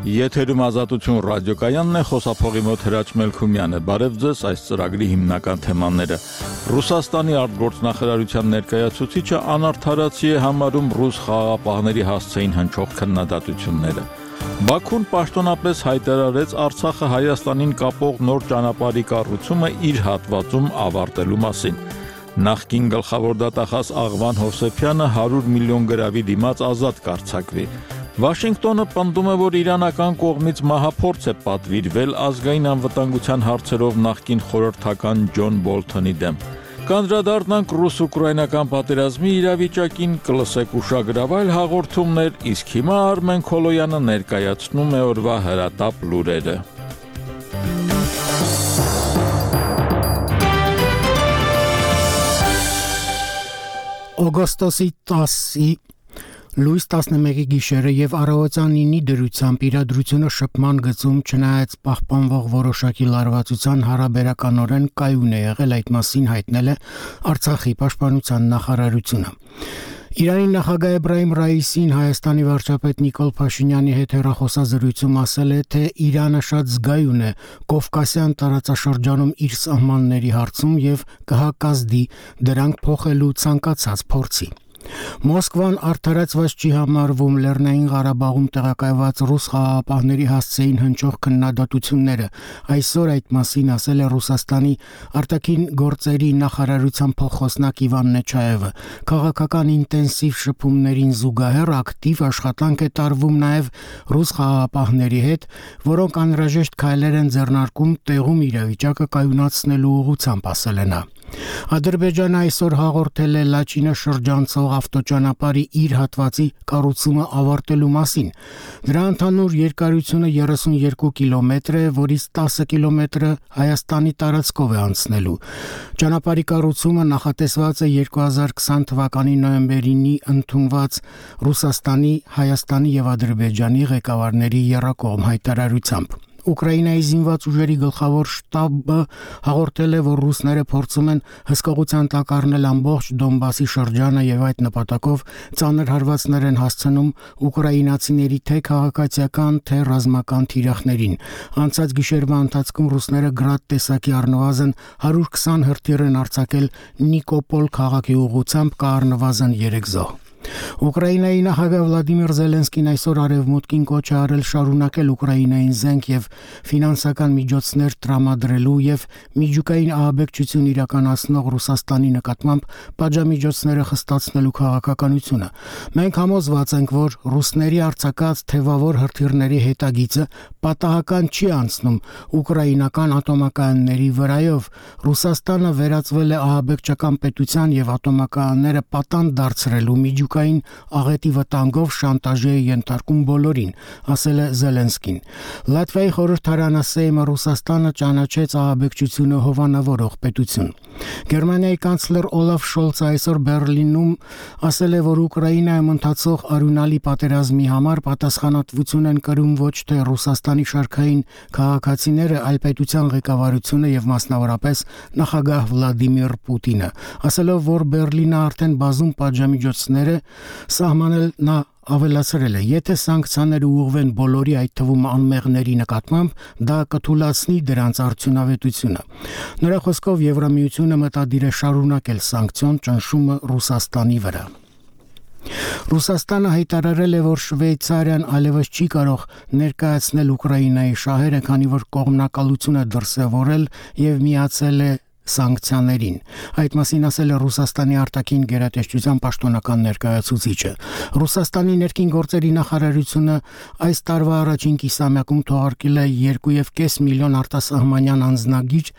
Եթերում Ազատություն ռադիոկայանն է, խոսափողի մոտ Հրաչ Մելքումյանը։ Բարև ձեզ, այս ծրագրի հիմնական թեմաները։ Ռուսաստանի արտգործնախարարության ներկայացուցիչը անարդարացի է համարում ռուս խաղաղապահների հասցեին հնչող քննադատությունները։ Բաքուն պաշտոնապես հայտարարեց Արցախը Հայաստանին կապող նոր ճանապարհի կառուցումը իր հատվածում ավարտելու մասին։ Նախկին գլխավոր դատախազ Աղվան Հովսեփյանը 100 միլիոն գրավի դիմաց ազատ կարձակվի։ Վաշինգտոնը պնդում է, որ իրանական կողմից մահափորձ է պատվիրվել ազգային անվտանգության հարցերով նախկին խորհրդական Ջոն Բոլթոնի դեմ։ Կանդրադառնանք ռուս-ուկրաինական պատերազմի իրավիճակին, կլսեք ուշագրավայր հաղորդումներ, իսկ հիմա Արմեն Քոլոյանը ներկայացնում է օրվա հրատապ լուրերը։ Օգոստոսի 10-ի լույս 11-ի գիշերը եւ առավոտյան 9-ի դրությամբ իրադրությունը շփման գծում չնայած պահպանվող որոշակի լարվածության հարաբերականորեն կայուն է եղել, այդ մասին հայտնել է Արցախի պաշտպանության նախարարությունը։ Իրանի նախագահ Էբրահիմ Ռայիսին Հայաստանի վարչապետ Նիկոլ Փաշինյանի հետ հեռախոսազրույցում ասել է, թե Իրանը շատ զգայուն է Կովկասյան տարածաշրջանում իր սահմանների հարցում եւ կհակազդի դրանք փոխելու ցանկացած փորձի։ Մոսկվան արդարացված չի համարվում Լեռնային Ղարաբաղում տեղակայված ռուս խաղաղապահների հասցեին հնչող քննադատությունները։ Այսօր այդ մասին ասել է Ռուսաստանի արտաքին գործերի նախարարության փոխխոսնակ Իվան Նեչաևը։ Քաղաքական ինտենսիվ շփումներին զուգահեռ ակտիվ աշխատանք է տարվում նաև ռուս խաղաղապահների հետ, որոնք անհրաժեշտ քայլեր են ձեռնարկում տեղում իրավիճակը կայունացնելու ուղղությամբ, ասել է նա։ Ադրբեջանը այսօր հաղորդել է Լաչինը շրջանցող ավտոճանապարհի իր հատվածի կառուցումը ավարտելու մասին։ Դրա ընդհանուր երկարությունը 32 կիլոմետր է, որից 10 կիլոմետրը Հայաստանի տարածքով է անցնելու։ Ճանապարհի կառուցումը նախատեսված է 2020 թվականի նոյեմբերին ընդունված Ռուսաստանի, Հայաստանի եւ Ադրբեջանի ղեկավարների եռակողմ հայտարարությամբ։ Ուկրաինայի զինված ուժերի գլխավոր շտաբը հաղորդել է, որ ռուսները փորձում են հսկողության տակ առնել ամբողջ Դոնբասի շրջանը եւ այդ նպատակով ծանր հարվածներ են հասցնում ուկրաինացիների թե քաղաքացիական, թե ռազմական թիրախներին։ Անցած գիշերվա ընթացքում ռուսները գրադ տեսակի առնվազն 120 հրթիռ են արձակել Նիկոպոլ քաղաքի ուղղությամբ, կա առնվազն 3 զոհ։ Ուկրաինայի նախագահ Վլադիմիր Զելենսկին այսօր արևմուտքին կոչ է արել շարունակել Ուկրաինային զենք եւ ֆինանսական միջոցներ տրամադրելու եւ միջուկային ահաբեկչություն իրականացնող Ռուսաստանի նկատմամբ պատժամիջոցները խստացնելու քաղաքականությունը։ Մենք համոզված ենք, որ ռուսների արձակած թևավոր հրթիռների հետագիծը պատահական չի անցնում ուկրաինական ատոմակայանների վրայով։ Ռուսաստանը վերածվել է ահաբեկչական պետության եւ ատոմակայանները պատանդ դարձրելու միջուկային աղետի վտանգով շանտաժի է ենթարկում բոլորին, ասել է Զելենսկին։ Լատվիայի խորհրդարանը Սեյմը Ռուսաստանը ճանաչեց ահաբեկչությունը հովանավորող պետություն։ Գերմանիայի կանցլեր Օլաֆ Շոլցը այսօր Բերլինում ասել է, որ Ուկրաինայում ընթացող արյունալի պատերազմի համար պատասխանատվություն են կրում ոչ թե Ռուսաստանի շարքային քաղաքացիները, այլ պետության ղեկավարությունը եւ մասնավորապես նախագահ Վլադիմիր Պուտինը, ասելով, որ Բերլինը արդեն բազում պատժամիջոցներ է սահմանել, նա ավելացրել է, եթե սանկցիաները ուղղվեն բոլորի, այդ թվում անմեղների նկատմամբ, դա կթուլացնի դրանց արդյունավետությունը։ Նրա խոսքով Եվրամիությունը մտադիր է շարունակել սանկցիոն ճնշումը Ռուսաստանի վրա։ Ռուսաստանը հայտարարել է, որ Շվեյցարիան այլևս չի կարող ներկայացնել Ուկրաինայի շահերը, քանի որ կողմնակալություն է դրսևորել եւ միացել է սանկցիաներին։ Այդ մասին ասել է Ռուսաստանի արտաքին գերատեսչության պաշտոնական ներկայացուցիչը։ Ռուսաստանի ներքին գործերի նախարարությունը այս տարվա առաջին կիսամյակում թողարկել է 2.5 միլիոն արտասահմանյան անձնագիր,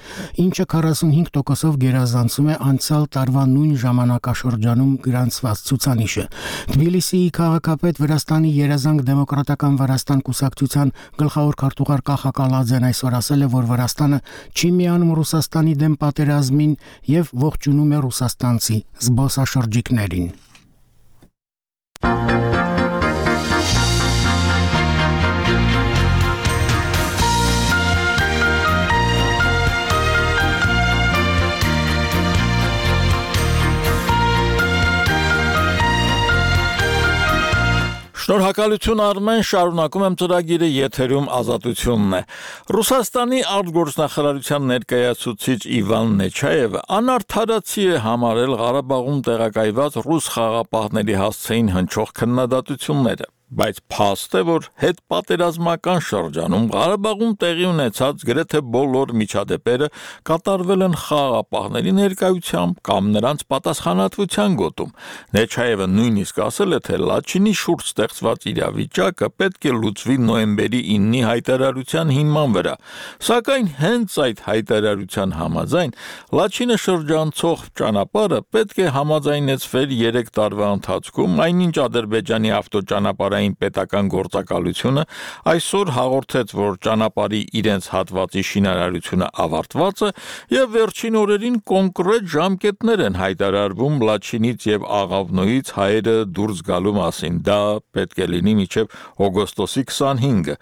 ինչը 45%-ով գերազանցում է անցյալ տարվա նույն ժամանակաշրջանում գրանցված ցուցանիշը։ Թբիլիսիի քաղաքապետ Վրաստանի Երազանք դեմոկրատական Վրաստան կուսակցության գլխավոր քարտուղար Կախա Կալաձեն այսօր ասել է, որ Վրաստանը չի միանում Ռուսաստանի դեմ պատերազմին եւ ողջունում է ռուսաստանցի զբոսաշրջիկներին։ Շնորհակալություն Արմեն, շարունակում եմ ծրագիրը, եթերում Ազատությունն է։ Ռուսաստանի արտգործնախարարության ներկայացուցիչ Իվան Նեչայևը անարդարացի է համարել Ղարաբաղում տեղակայված ռուս խաղաղապահների հասցեին հնչող քննադատությունները, բայց փաստ է, որ հետպատերազմական շրջանում Ղարաբաղում տեղի ունեցած գրեթե բոլոր միջադեպերը կատարվել են խաղաղապահների ներկայությամբ կամ նրանց պատասխանատվության գոտում։ Նեչայևը նույնիսկ ասել է, թե Լաչինի շուրջ ստեղծված իրավիճակը պետք է լուծվի նոյեմբերի 9-ի հայտարարության հիման վրա, սակայն հենց այդ հայտարարության համաձայն Լաչինը շրջանցող ճանապարհը պետք է համաձայնեցվեր 3 տարվա ընթացքում, այնինչ Ադրբեջանի ավտոճանապարհային պետական գործակալությունը այսօր հաղորդեց, որ ճանապարհի իրենց հատվածի շինարարությունը ավարտված է եւ վերջին օրերին կոնկրետ ժամկետներ են հայտարարվում Լաչինից եւ Աղավնոյից հայերը դուրս գալու մասին։ Դա պետք է լինի մինչեւ օգոստոսի 25-ը,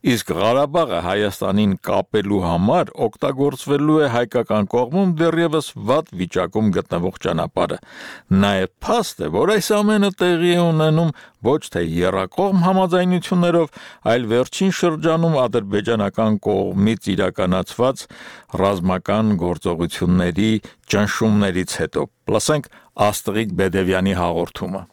իսկ Ղարաբաղը Հայաստանին կապելու համար օգտագործվելու է հայկական կողմում դեռևս վատ վիճակում գտնվող ճանապարհը։ Նաեւ փաստ է, որ այս ամենը տեղի է ունենում ոչ թե եռակողմ համաձայնություններով, այլ վերջին շրջանում ադրբեջանական կողմից իրականացված ռազմական գործողությունների ճնշումներից հետո։ Լսենք Աստղիկ Բեդևյանի հաղորդումը։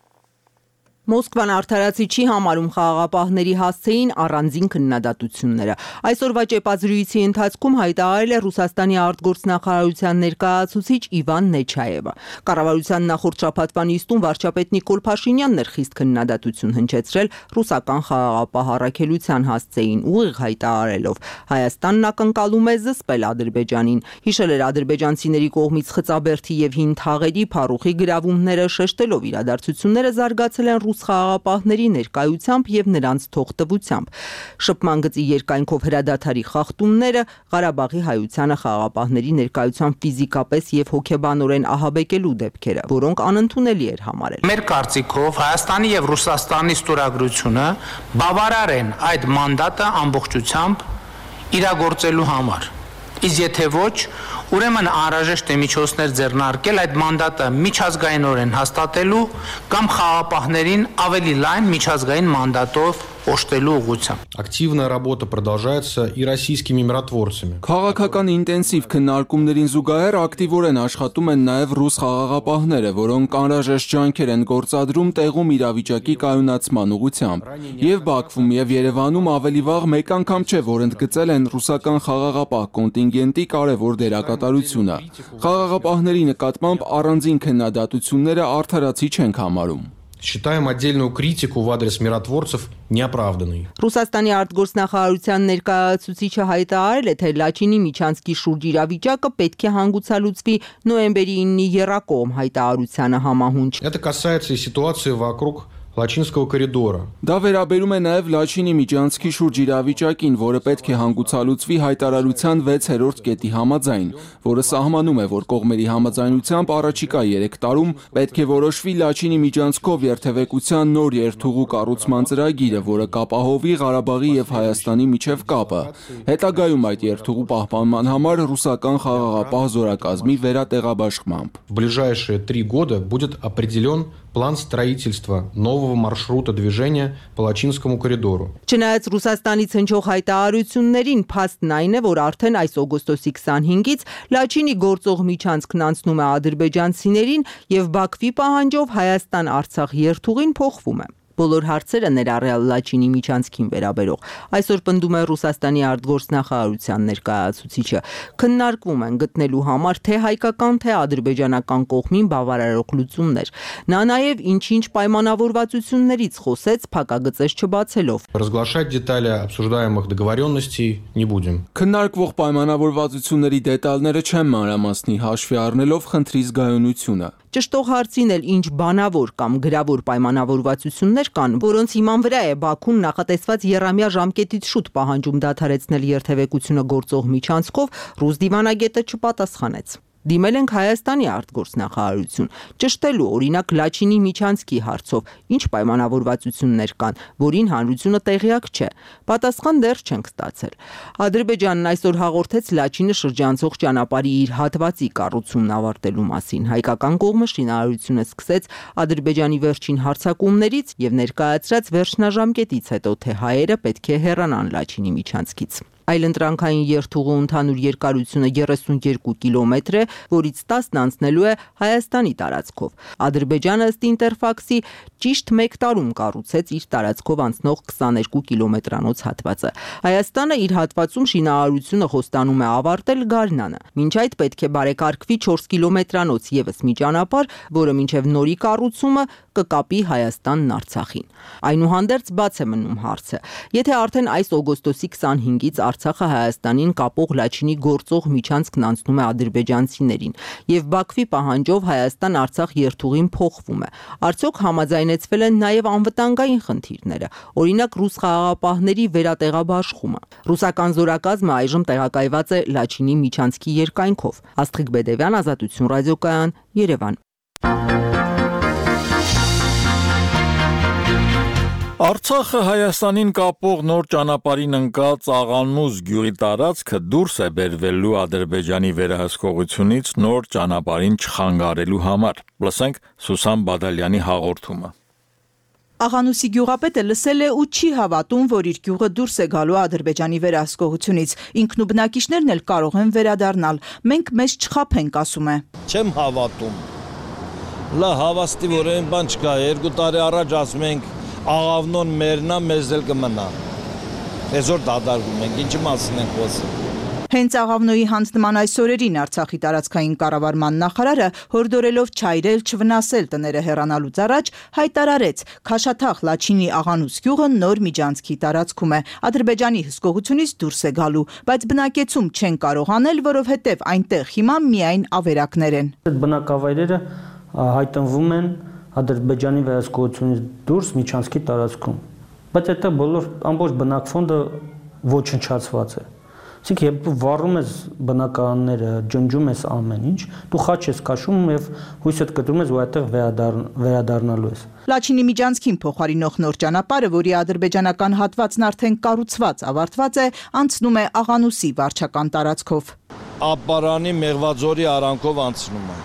Մոսկվան արդարացի չի համարում խաղաղապահների հասցեին առանձին քննադատությունները։ Այսօրվա ճեպազրույցի ընթացքում հայտարարել է Ռուսաստանի արտգործնախարարության ներկայացուցիչ Իվան Նեչայևը։ Կառավարության նախորդ շաբաթվա նիստում վարչապետ Նիկոլ Փաշինյանն էր խիստ քննադատություն հնչեցրել ռուսական խաղաղապահ առաքելության հասցեին, ուղիղ հայտարարելով. Հայաստանն ակնկալում է զսպել Ադրբեջանին։ Հիշել էր ադրբեջանցիների կողմից խծաբերդի եւ հին թաղերի փառուխի գրավումները, շեշտելով իրադարձությունները զարգացել են խաղաղապահների ներկայությամբ եւ նրանց թողտվությամբ։ Շփման գծի երկայնքով հրադադարի խախտումները, Ղարաբաղի հայությանը խաղաղապահների ներկայությամբ ֆիզիկապես եւ հոգեբանորեն ահաբեկելու դեպքերը, որոնք անընդունելի էր համարել։ Մեր կարծիքով Հայաստանի եւ Ռուսաստանի ստորագրությունը բավարար են այդ մանդատը ամբողջությամբ իրագործելու համար։ Իսկ եթե ոչ, ուրեմն անհրաժեշտ է միջոցներ ձեռնարկել այդ մանդատը միջազգայինորեն հաստատելու կամ խաղաղապահներին ավելի լայն միջազգային մանդատով օժտելու ուղղությամբ։ Активная работа продолжается и российскими миротворцами. Քաղաքական ինտենսիվ քննարկումներին զուգահեռ ակտիվորեն աշխատում են նաև ռուս խաղաղապահները, որոնք անհրաժեշտ ջանքեր են գործադրում տեղում իրավիճակի կայունացման ուղղությամբ։ Եվ Բաքվում եւ Երևանում ավելի վաղ մեկ անգամ չէ, որ ընդգծել են ռուսական խաղաղապահ կոնտինգենտի կարևոր դերակատարությունը։ Խաղաղապահների նկատմամբ առանձին քննադատությունները արդարացի չենք համարում։ Считаем отдельную критику в адрес миротворцев неоправданной. Ռուսաստանի արտգործնախարարության ներկայացուցիչը հայտարարել է, թե Լաչինի միջանցքի շուրջ իրավիճակը պետք է հանգուցալուծվի նոյեմբերի 9-ի եռակողմ հայտարարությանը համահունչ։ Это կасается и ситуации вокруг Лачинского коридора. Դա վերաբերում է նաև Լաչինի միջանցքի շուրջ իրավիճակին, որը պետք է հանգուցալուծվի հայտարարության 6-րդ կետի համաձայն, որը սահմանում է, որ կողմերի համաձայնությամբ առաջիկա 3 տարում պետք է որոշվի Լաչինի միջանցքով երթևեկության նոր երթուղու կառուցման ծրագիրը, որը կապահովի Ղարաբաղի եւ Հայաստանի միջև կապը։ Հետագայում այդ երթուղու պահպանման համար ռուսական խաղաղապահ զորակազմի վերատեղաբաշխմամբ։ В ближайшие 3 года будет определен план строительства нового маршрута движения по Лачинскому коридору. Չնայած Ռուսաստանից հնչող հայտարարություններին, փաստն այն է, որ արդեն այս օգոստոսի 25-ից Լաչինի գործող միջանցքն անցնում է ադրբեջանցիներին եւ Բաքվի պահանջով Հայաստան-Արցախ երթուղին փոխվում է։ Բոլոր հարցերը ներառյալ Լաչինի միջանցքին վերաբերող այսօր պնդում է Ռուսաստանի արտգործնախարարության ներկայացուցիչը, քննարկվում են գտնելու համար թե հայկական, թե ադրբեջանական կողմին բավարարող լուծումներ։ Նա նաև ինչ-ինչ պայմանավորվածություններից խոսեց փակագծեր չբացելով։ Разглашать детали обсуждаемых договоренностей не будем. Քննարկվող պայմանավորվածությունների դետալները չեն մանրամասնի հաշվի առնելով խնդրի զգայունությունը։ Ճշտող հարցին էլ ինչ բանավոր կամ գրավոր պայմանավորվածություններ կան, որոնց հիման վրա է Բաքուն նախատեսված եռամյա ժամկետից շուտ պահանջում դադարեցնել երթևեկությունը գործող միջանցքով, ռուս դիվանագետը չպատասխանեց։ Դիմել ենք Հայաստանի արտգործնախարարություն, ճշտելու օրինակ Լաչինի միջանցքի հարցով ինչ պայմանավորվածություններ կան, որին հանրությունը տեղյակ չէ։ Պատասխան դեռ չենք ստացել։ Ադրբեջանն այսօր հաղորդեց Լաչինը շրջանցող ճանապարհի իր հատվածի կառուցումն ավարտելու մասին։ Հայկական կողմը շինարարությունը սկսեց Ադրբեջանի վերջին հարձակումներից եւ ներկայացրած վերջնաժամկետից հետո, թե հայերը պետք է հեռանան Լաչինի միջանցքից։ Այլընտրանքային երթուղու ընդհանուր երկարությունը 32 կիլոմետր է, որից 10-ն անցնելու է Հայաստանի տարածքով։ Ադրբեջանը ըստ Ինտերֆաքսի ճիշտ 1 տարում կառուցեց իր տարածքով անցնող 22 կիլոմետրանոց հատվածը։ Հայաստանը իր հատվածում շինարարությունը խոստանում է ավարտել գարնանը։ Մինչ այդ պետք է բարեկարգվի 4 կիլոմետրանոց եւս մի ճանապարհ, որը մինչև նորի կառուցումը կկապի Հայաստանն Արցախին։ Այնուհանդերձ բաց է մնում հարցը. եթե արդեն այս օգոստոսի 25-ից Արցախը Հայաստանին կապող Լաչինի գործող միջանցքն անցնում է ադրբեջանցիներին եւ Բաքվի պահանջով Հայաստան-Արցախ երթուղին փոխվում է, արդյոք համաձայնեցվել են նաեւ անվտանգային խնդիրները, օրինակ ռուս խաղաղապահների վերատեղաբաշխումը։ Ռուսական զորակազմը այժմ տեղակայված է Լաչինի միջանցքի երկայնքով։ Աստղիկ Բեդևյան, Ազատություն ռադիոկայան, Երևան։ Արցախը Հայաստանին կապող նոր ճանապարհին ընկած Աղանուզ գյուղի տարածքը դուրս է բերվելու Ադրբեջանի վերահսկողությունից նոր ճանապարհին չխանգարելու համար։ Լսենք Սուսան Բադալյանի հաղորդումը։ Աղանուսի գյուղապետը լսել է ու չի հավատում, որ իր գյուղը դուրս է գալու Ադրբեջանի վերահսկողությունից։ Ինքն ու բնակիչներն էլ կարող են վերադառնալ։ Մենք մեզ չխաբենք, ասում է։ Չեմ հավատում։ Լա հավաստի որ այն բան չկա, 2 տարի առաջ ասում ենք աղավնոն մերնա մեզ էլ կմնա։ Այսօր դադարվում ենք, ինչի մասին ենք խոսում։ Հենց Աղավնոյի հանձնման այս օրերին Արցախի տարածքային կառավարման նախարարը հորդորելով չայրել, չվնասել տները հեռանալուց առաջ հայտարարեց Քաշաթաղ Լաչինի Աղանուս գյուղը նոր միջանցքի տարածքում է, Ադրբեջանի հսկողությունից դուրս է գալու, բայց բնակեցում չեն կարող անել, որովհետև այնտեղ հիմա միայն ավերակներ են։ Այդ բնակավայրերը հայտնվում են Ադրբեջանի վերահսկողությունից դուրս միջանցքի տարածքում, բայց այդտեղ բոլոր ամբողջ բնակֆոնդը ոչնչացված է։ Իսկ երբ դու վառում ես բնակարանները, ջնջում ես ամեն ինչ, դու խաչ ես քաշում եւ հույսդ կտրում ես, որ այդտեղ վերադառնալու ես։ Լաչինի միջանցքին փոխարինող նոր ճանապարհը, որի ադրբեջանական հատվածն արդեն կառուցված, ավարտված է, անցնում է Աղանուսի վարչական տարածքով։ Ապարանի Մեղվաձորի արանքով անցնում է։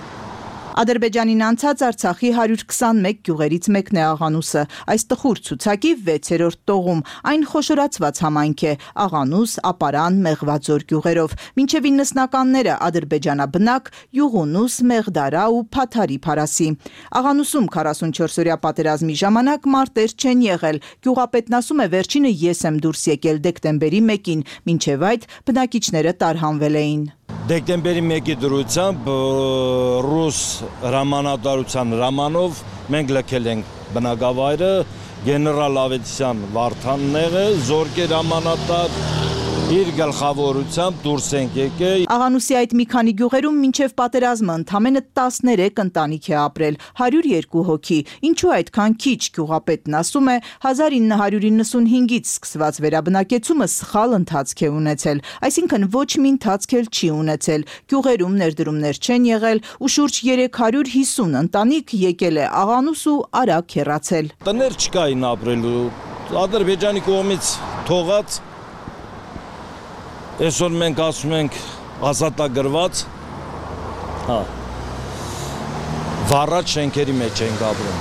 Ադրբեջանին անցած Արցախի 121 գյուղերից մեկն է Աղանուսը։ Այս տխուր ցուցակի 6-րդ տողում այն խոշորացված համայնք է Աղանուս, Ապարան, Մեղվաձոր գյուղերով։ Մինչև 90-ականները ադրբեջանաբնակ Յուղունուս, Մեղդարա ու Փաթարի Փարասի։ Աղանուսում 44-օրյա պատերազմի ժամանակ մարտեր չեն եղել։ Գյուղապետն ասում է վերջինը ես եմ դուրս եկել դեկտեմբերի 1-ին, մինչև այդ բնակիչները տարհանվել էին։ Դեկտեմբերի 1-ի դրությամբ ռուս հրամանատարության հրամանով մենք լքել ենք բնակավայրը, գեներալ Ավետիսյան Վարդանները, Զորկեր հրամանատար իր գլխավորությամբ դուրս ենք եկել։ Աղանուսի այդ մի քանի գյուղերում մինչև պատերազմը ընդամենը 13 ընտանիք է ապրել, 102 հոգի։ Ինչու այդքան քիչ, գյուղապետն ասում է, 1995-ից սկսված վերաբնակեցումը սխալ ընթացք է ունեցել, այսինքն ոչ մի ընթացք էլ չի ունեցել։ Գյուղերում ներդրումներ չեն եղել ու շուրջ 350 ընտանիք եկել է Աղանուս ու արագ հեռացել։ Տներ չկային ապրելու, Ադրբեջանի կողմից թողած Այսօր մենք ասում ենք ազատագրված, վառած շենքերի մեջ ենք ապրում,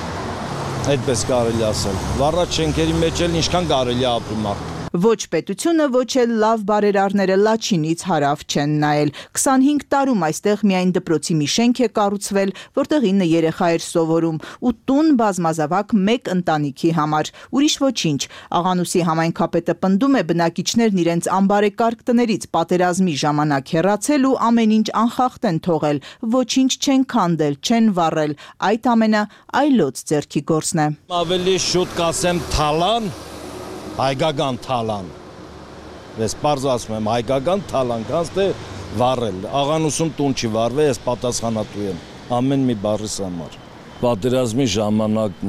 այդպես կարելի ասել, վառած շենքերի մեջ էլ ինչքան կարելի ապրում մարդ։ Ոչ պետությունը, ոչ էլ լավ բարերարները Լաչինից հարավ չեն նայել։ 25 տարում այստեղ միայն դպրոցի մի շենք է կառուցվել, որտեղ 9 երեխա էր սովորում, ու տուն բազմազավակ 1 ընտանիքի համար։ Ուրիշ ոչինչ։ Աղանուսի համայնքապետը պնդում է բնակիչներն իրենց անբարեկարգ տներից պատերազմի ժամանակ հեռացել ու ամեն ինչ անխախտ են թողել, ոչինչ չեն քանդել, չեն վառել։ Այդ ամենը այլոց ձեռքի գործն է։ Ավելի շուտ կասեմ թալան, հայկական թալան, ես պարզ ասում եմ հայկական թալան, կանց թե վառել, Աղանուսում տուն չի վառվել, ես պատասխանատու եմ, ամեն մի բառիս համար։ Պատերազմի ժամանակ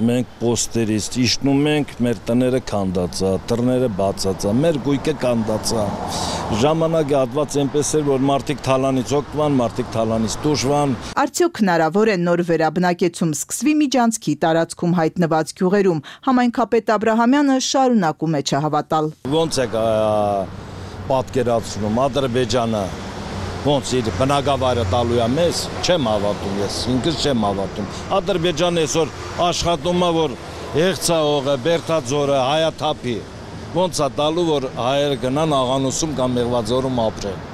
մենք պոստերից իշտնում ենք, մեր տները քանդածա, դռները բացածա, մեր գույքը քանդածա։ Ժամանակը հատված այնպես էր, որ մարդիկ թալանից օգտվան, մարդիկ թալանից դուժվան։ Արդյոք հնարավոր է նոր վերաբնակեցում սկսվի Միջանցքի տարածքում հայտնված գյուղերում։ Համայնքապետ Աբրահամյանը շարունակում է չհավատալ։ Ոնց է պատկերացնում Ադրբեջանը ոնց իր բնակավայրը տալու է մեզ, չեմ հավատում ես, ինքս չեմ հավատում։ Ադրբեջանը այսօր աշխատում է, որ Եղցահողը, Բերդաձորը, Հայաթափի, ոնց է տալու, որ հայերը գնան Աղանուսում կամ Մեղվաձորում ապրեն։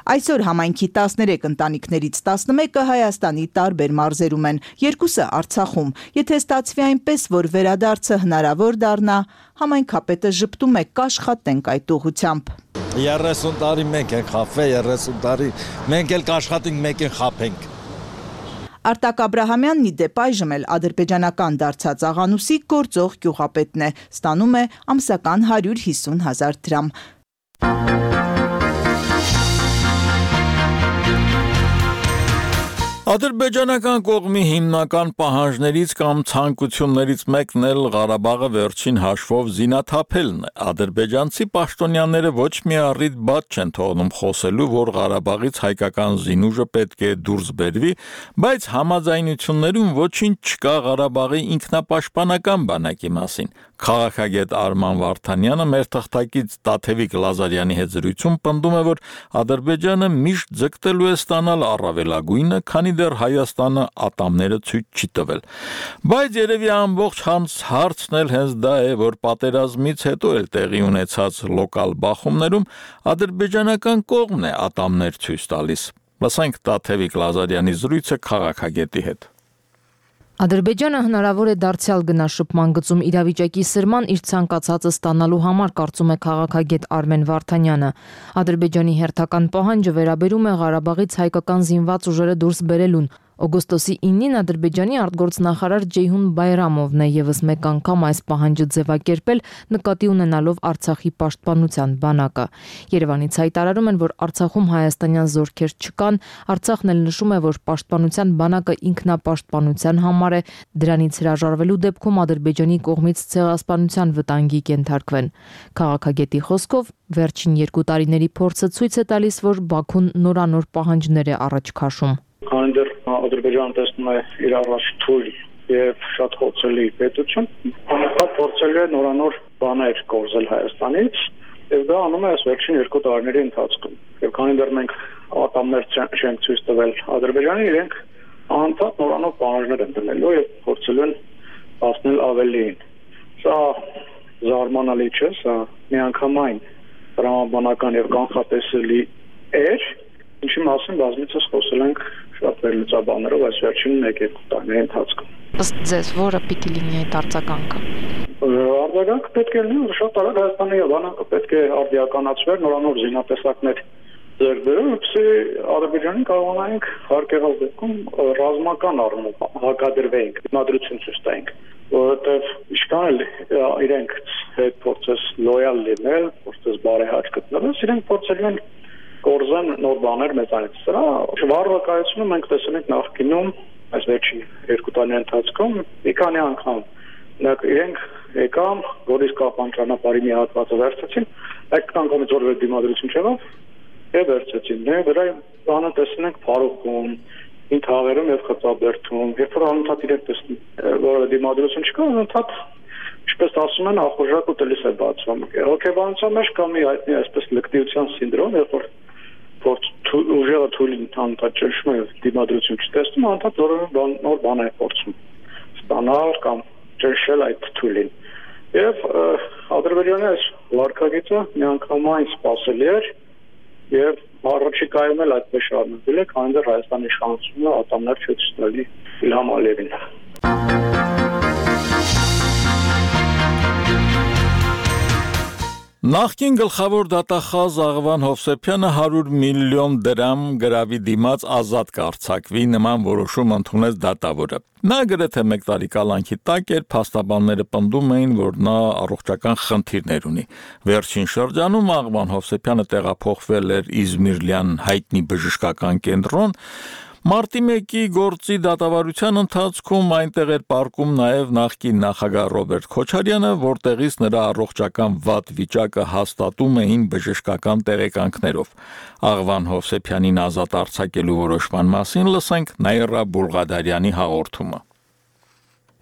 Այսօր համայնքի 13 ընտանիքներից 11-ը Հայաստանի տարբեր մարզերում են, 2-ը Արցախում։ Եթե ստացվի այնպես, որ վերադարձը հնարավոր դառնա, համայնքապետը ժպտում է կաշխատենք այդ ուղղությամբ։ 30 տարի մենք ենք խաբվել, 30 տարի մենք էլ կաշխատենք, մեկ են խաբենք։ Արտակ Աբրահամյանն ի դեպ այժմ էլ ադրբեջանական դարձած Աղանուսի գործող գյուղապետն է, ստանում է ամսական 150,000 դրամ։ Ադրբեջանական կողմի հիմնական պահանջներից կամ ցանկություններից մեկն էլ Ղարաբաղը վերջին հաշվով զինաթափելն է։ Ադրբեջանցի պաշտոնյաները ոչ մի առիթ բաց չեն թողնում խոսելու, որ Ղարաբաղից հայկական զինուժը պետք է դուրս բերվի, բայց համաձայնություններում ոչինչ չկա Ղարաբաղի ինքնապաշտպանական բանակի մասին։ Քաղաքագետ Արման Վարդանյանը մեր թղթակից Տաթևիկ Լազարյանի հետ զրույցում պնդում է, որ Ադրբեջանը միշտ ձգտելու է ստանալ առավելագույնը, քանի դեռ Հայաստանը ատամները ցույց չի տվել։ Բայց երևի ամբողջ հարցն էլ հենց դա է, որ պատերազմից հետո էլ տեղի ունեցած լոկալ բախումներում ադրբեջանական կողմն է ատամներ ցույց տալիս։ Լսենք Տաթևիկ Լազարյանի զրույցը քաղաքագետի հետ։ Ադրբեջանը հնարավոր է դարձյալ գնա շփման գծում իրավիճակի սրման իր ցանկացածը ստանալու համար, կարծում է քաղաքագետ Արմեն Վարդանյանը։ Ադրբեջանի հերթական պահանջը վերաբերում է Ղարաբաղից հայկական զինված ուժերը դուրս բերելուն։ Օգոստոսի 9-ին Ադրբեջանի արտգործնախարար Ջեյհուն Բայրամովն է եւս մեկ անգամ այս պահանջը ձևակերպել, նկատի ունենալով Արցախի պաշտպանության բանակը։ Երևանից հայտարարում են, որ Արցախում հայաստանյան զորքեր չկան, Արցախն էլ նշում է, որ պաշտպանության բանակը ինքնապաշտպանության համար է, դրանից հրաժարվելու դեպքում Ադրբեջանի կողմից ցեղասպանության վտանգի կենթարկվեն։ Քաղաքագետի խոսքով վերջին 2 տարիների փորձը ցույց է տալիս, որ Բաքուն նորանոր պահանջներ է առաջ քաշում։ Քանի դեռ Ադրբեջանը տեսնում է իր առաջ թույլ եւ շատ խոցելի պետություն, անընդհատ փորձել է նորանոր բաներ կորզել Հայաստանից, եւ դա անում է այս վերջին 2 տարիների ընթացքում։ Եվ քանի դեռ մենք ատամներ չենք ցույց տվել Ադրբեջանին, իրենք անընդհատ նորանոր պահանջներ են դնելու եւ փորձելու են հասնել ավելիին։ Սա զարմանալի չէ, սա միանգամայն տրամաբանական եւ կանխատեսելի էր, ինչի մասին բազմիցս խոսել ենք շատ վերլուծաբաններով այս վերջին 1-2 տարիների ընթացքում։ Ըստ ձեզ, որը պիտի լինի այդ արձագանքը։ Արձագանքը պետք է լինի, որ շատ արագ Հայաստանի բանակը պետք է արդիականացվեր, նորանոր զինատեսակներ ձեռք բերել, որպեսզի Ադրբեջանին կարողանանք հարկեղած դեպքում ռազմական առումով հակադրվենք, դիմադրություն ցույց տանք, որովհետև ինչքան էլ իրենք հետ փորձես լոյալ լինել, փորձես բարեհաճ գտնվել, իրենք փորձել են կորզեն նոր բաներ մեծանից։ Սրա վառվակայությունը մենք տեսել ենք նախկինում այս վերջին 2 տարիների ընթացքում մի քանի անգամ։ Իրենք եկան Գորիսկապան ճանապարհի մի հատվածը վերցեցին, այդ անգամից որևէ դիմադրություն չեղավ եւ վերցեցին։ Դրա բանը տեսնում ենք Փարուխում, Ինթաղերում եւ Խծաբերդում, երբ որ անընդհատ իրենք տեսնում որևէ դիմադրություն չկա, անընդհատ ինչպես ասում են, ախորժակ ուտելիս է բացվում։ Հոգեբանության մեջ կա մի հայտնի այսպես լկտիության սինդրոմ, երբ որ ուժերը թույլին անընդհատ ճնշում է դիմադրություն չտեսնում, անընդհատ նոր բան է փորձում ստանալ կամ ճնշել այդ թույլին։ Եվ Ադրբեջանի այս վարկագիծը միանգամայն սպասելի էր եւ առաջիկայում էլ այդպես շարունակել է, քանի դեռ Հայաստանի իշխանությունը ատամներ չի ցույցի Իլհամ Ալիևին։ Նախկին գլխավոր դատախազ Աղվան Հովսեփյանը 100 միլիոն դրամ գրավի դիմաց ազատ կարձակվի նման որոշում ընդունեց դատավորը։ Նա գրեթե 1 տարի կալանքի տակ էր, փաստաբանները պնդում էին, որ նա առողջական խնդիրներ ունի։ Վերջին շրջանում Աղվան Հովսեփյանը տեղափոխվել էր Իզմիրլյան հայտնի բժշկական կենտրոն, Մարտի 1-ի գործի դատավարության ընթացքում այնտեղ էր պառկում նաև նախկին նախագահ Ռոբերտ Քոչարյանը, որտեղից նրա առողջական վատ վիճակը հաստատում էին բժշկական տեղեկանքներով։ Աղվան Հովսեփյանին ազատ արձակելու որոշման մասին լսենք Նաիրա Բուլղադարյանի հաղորդումը։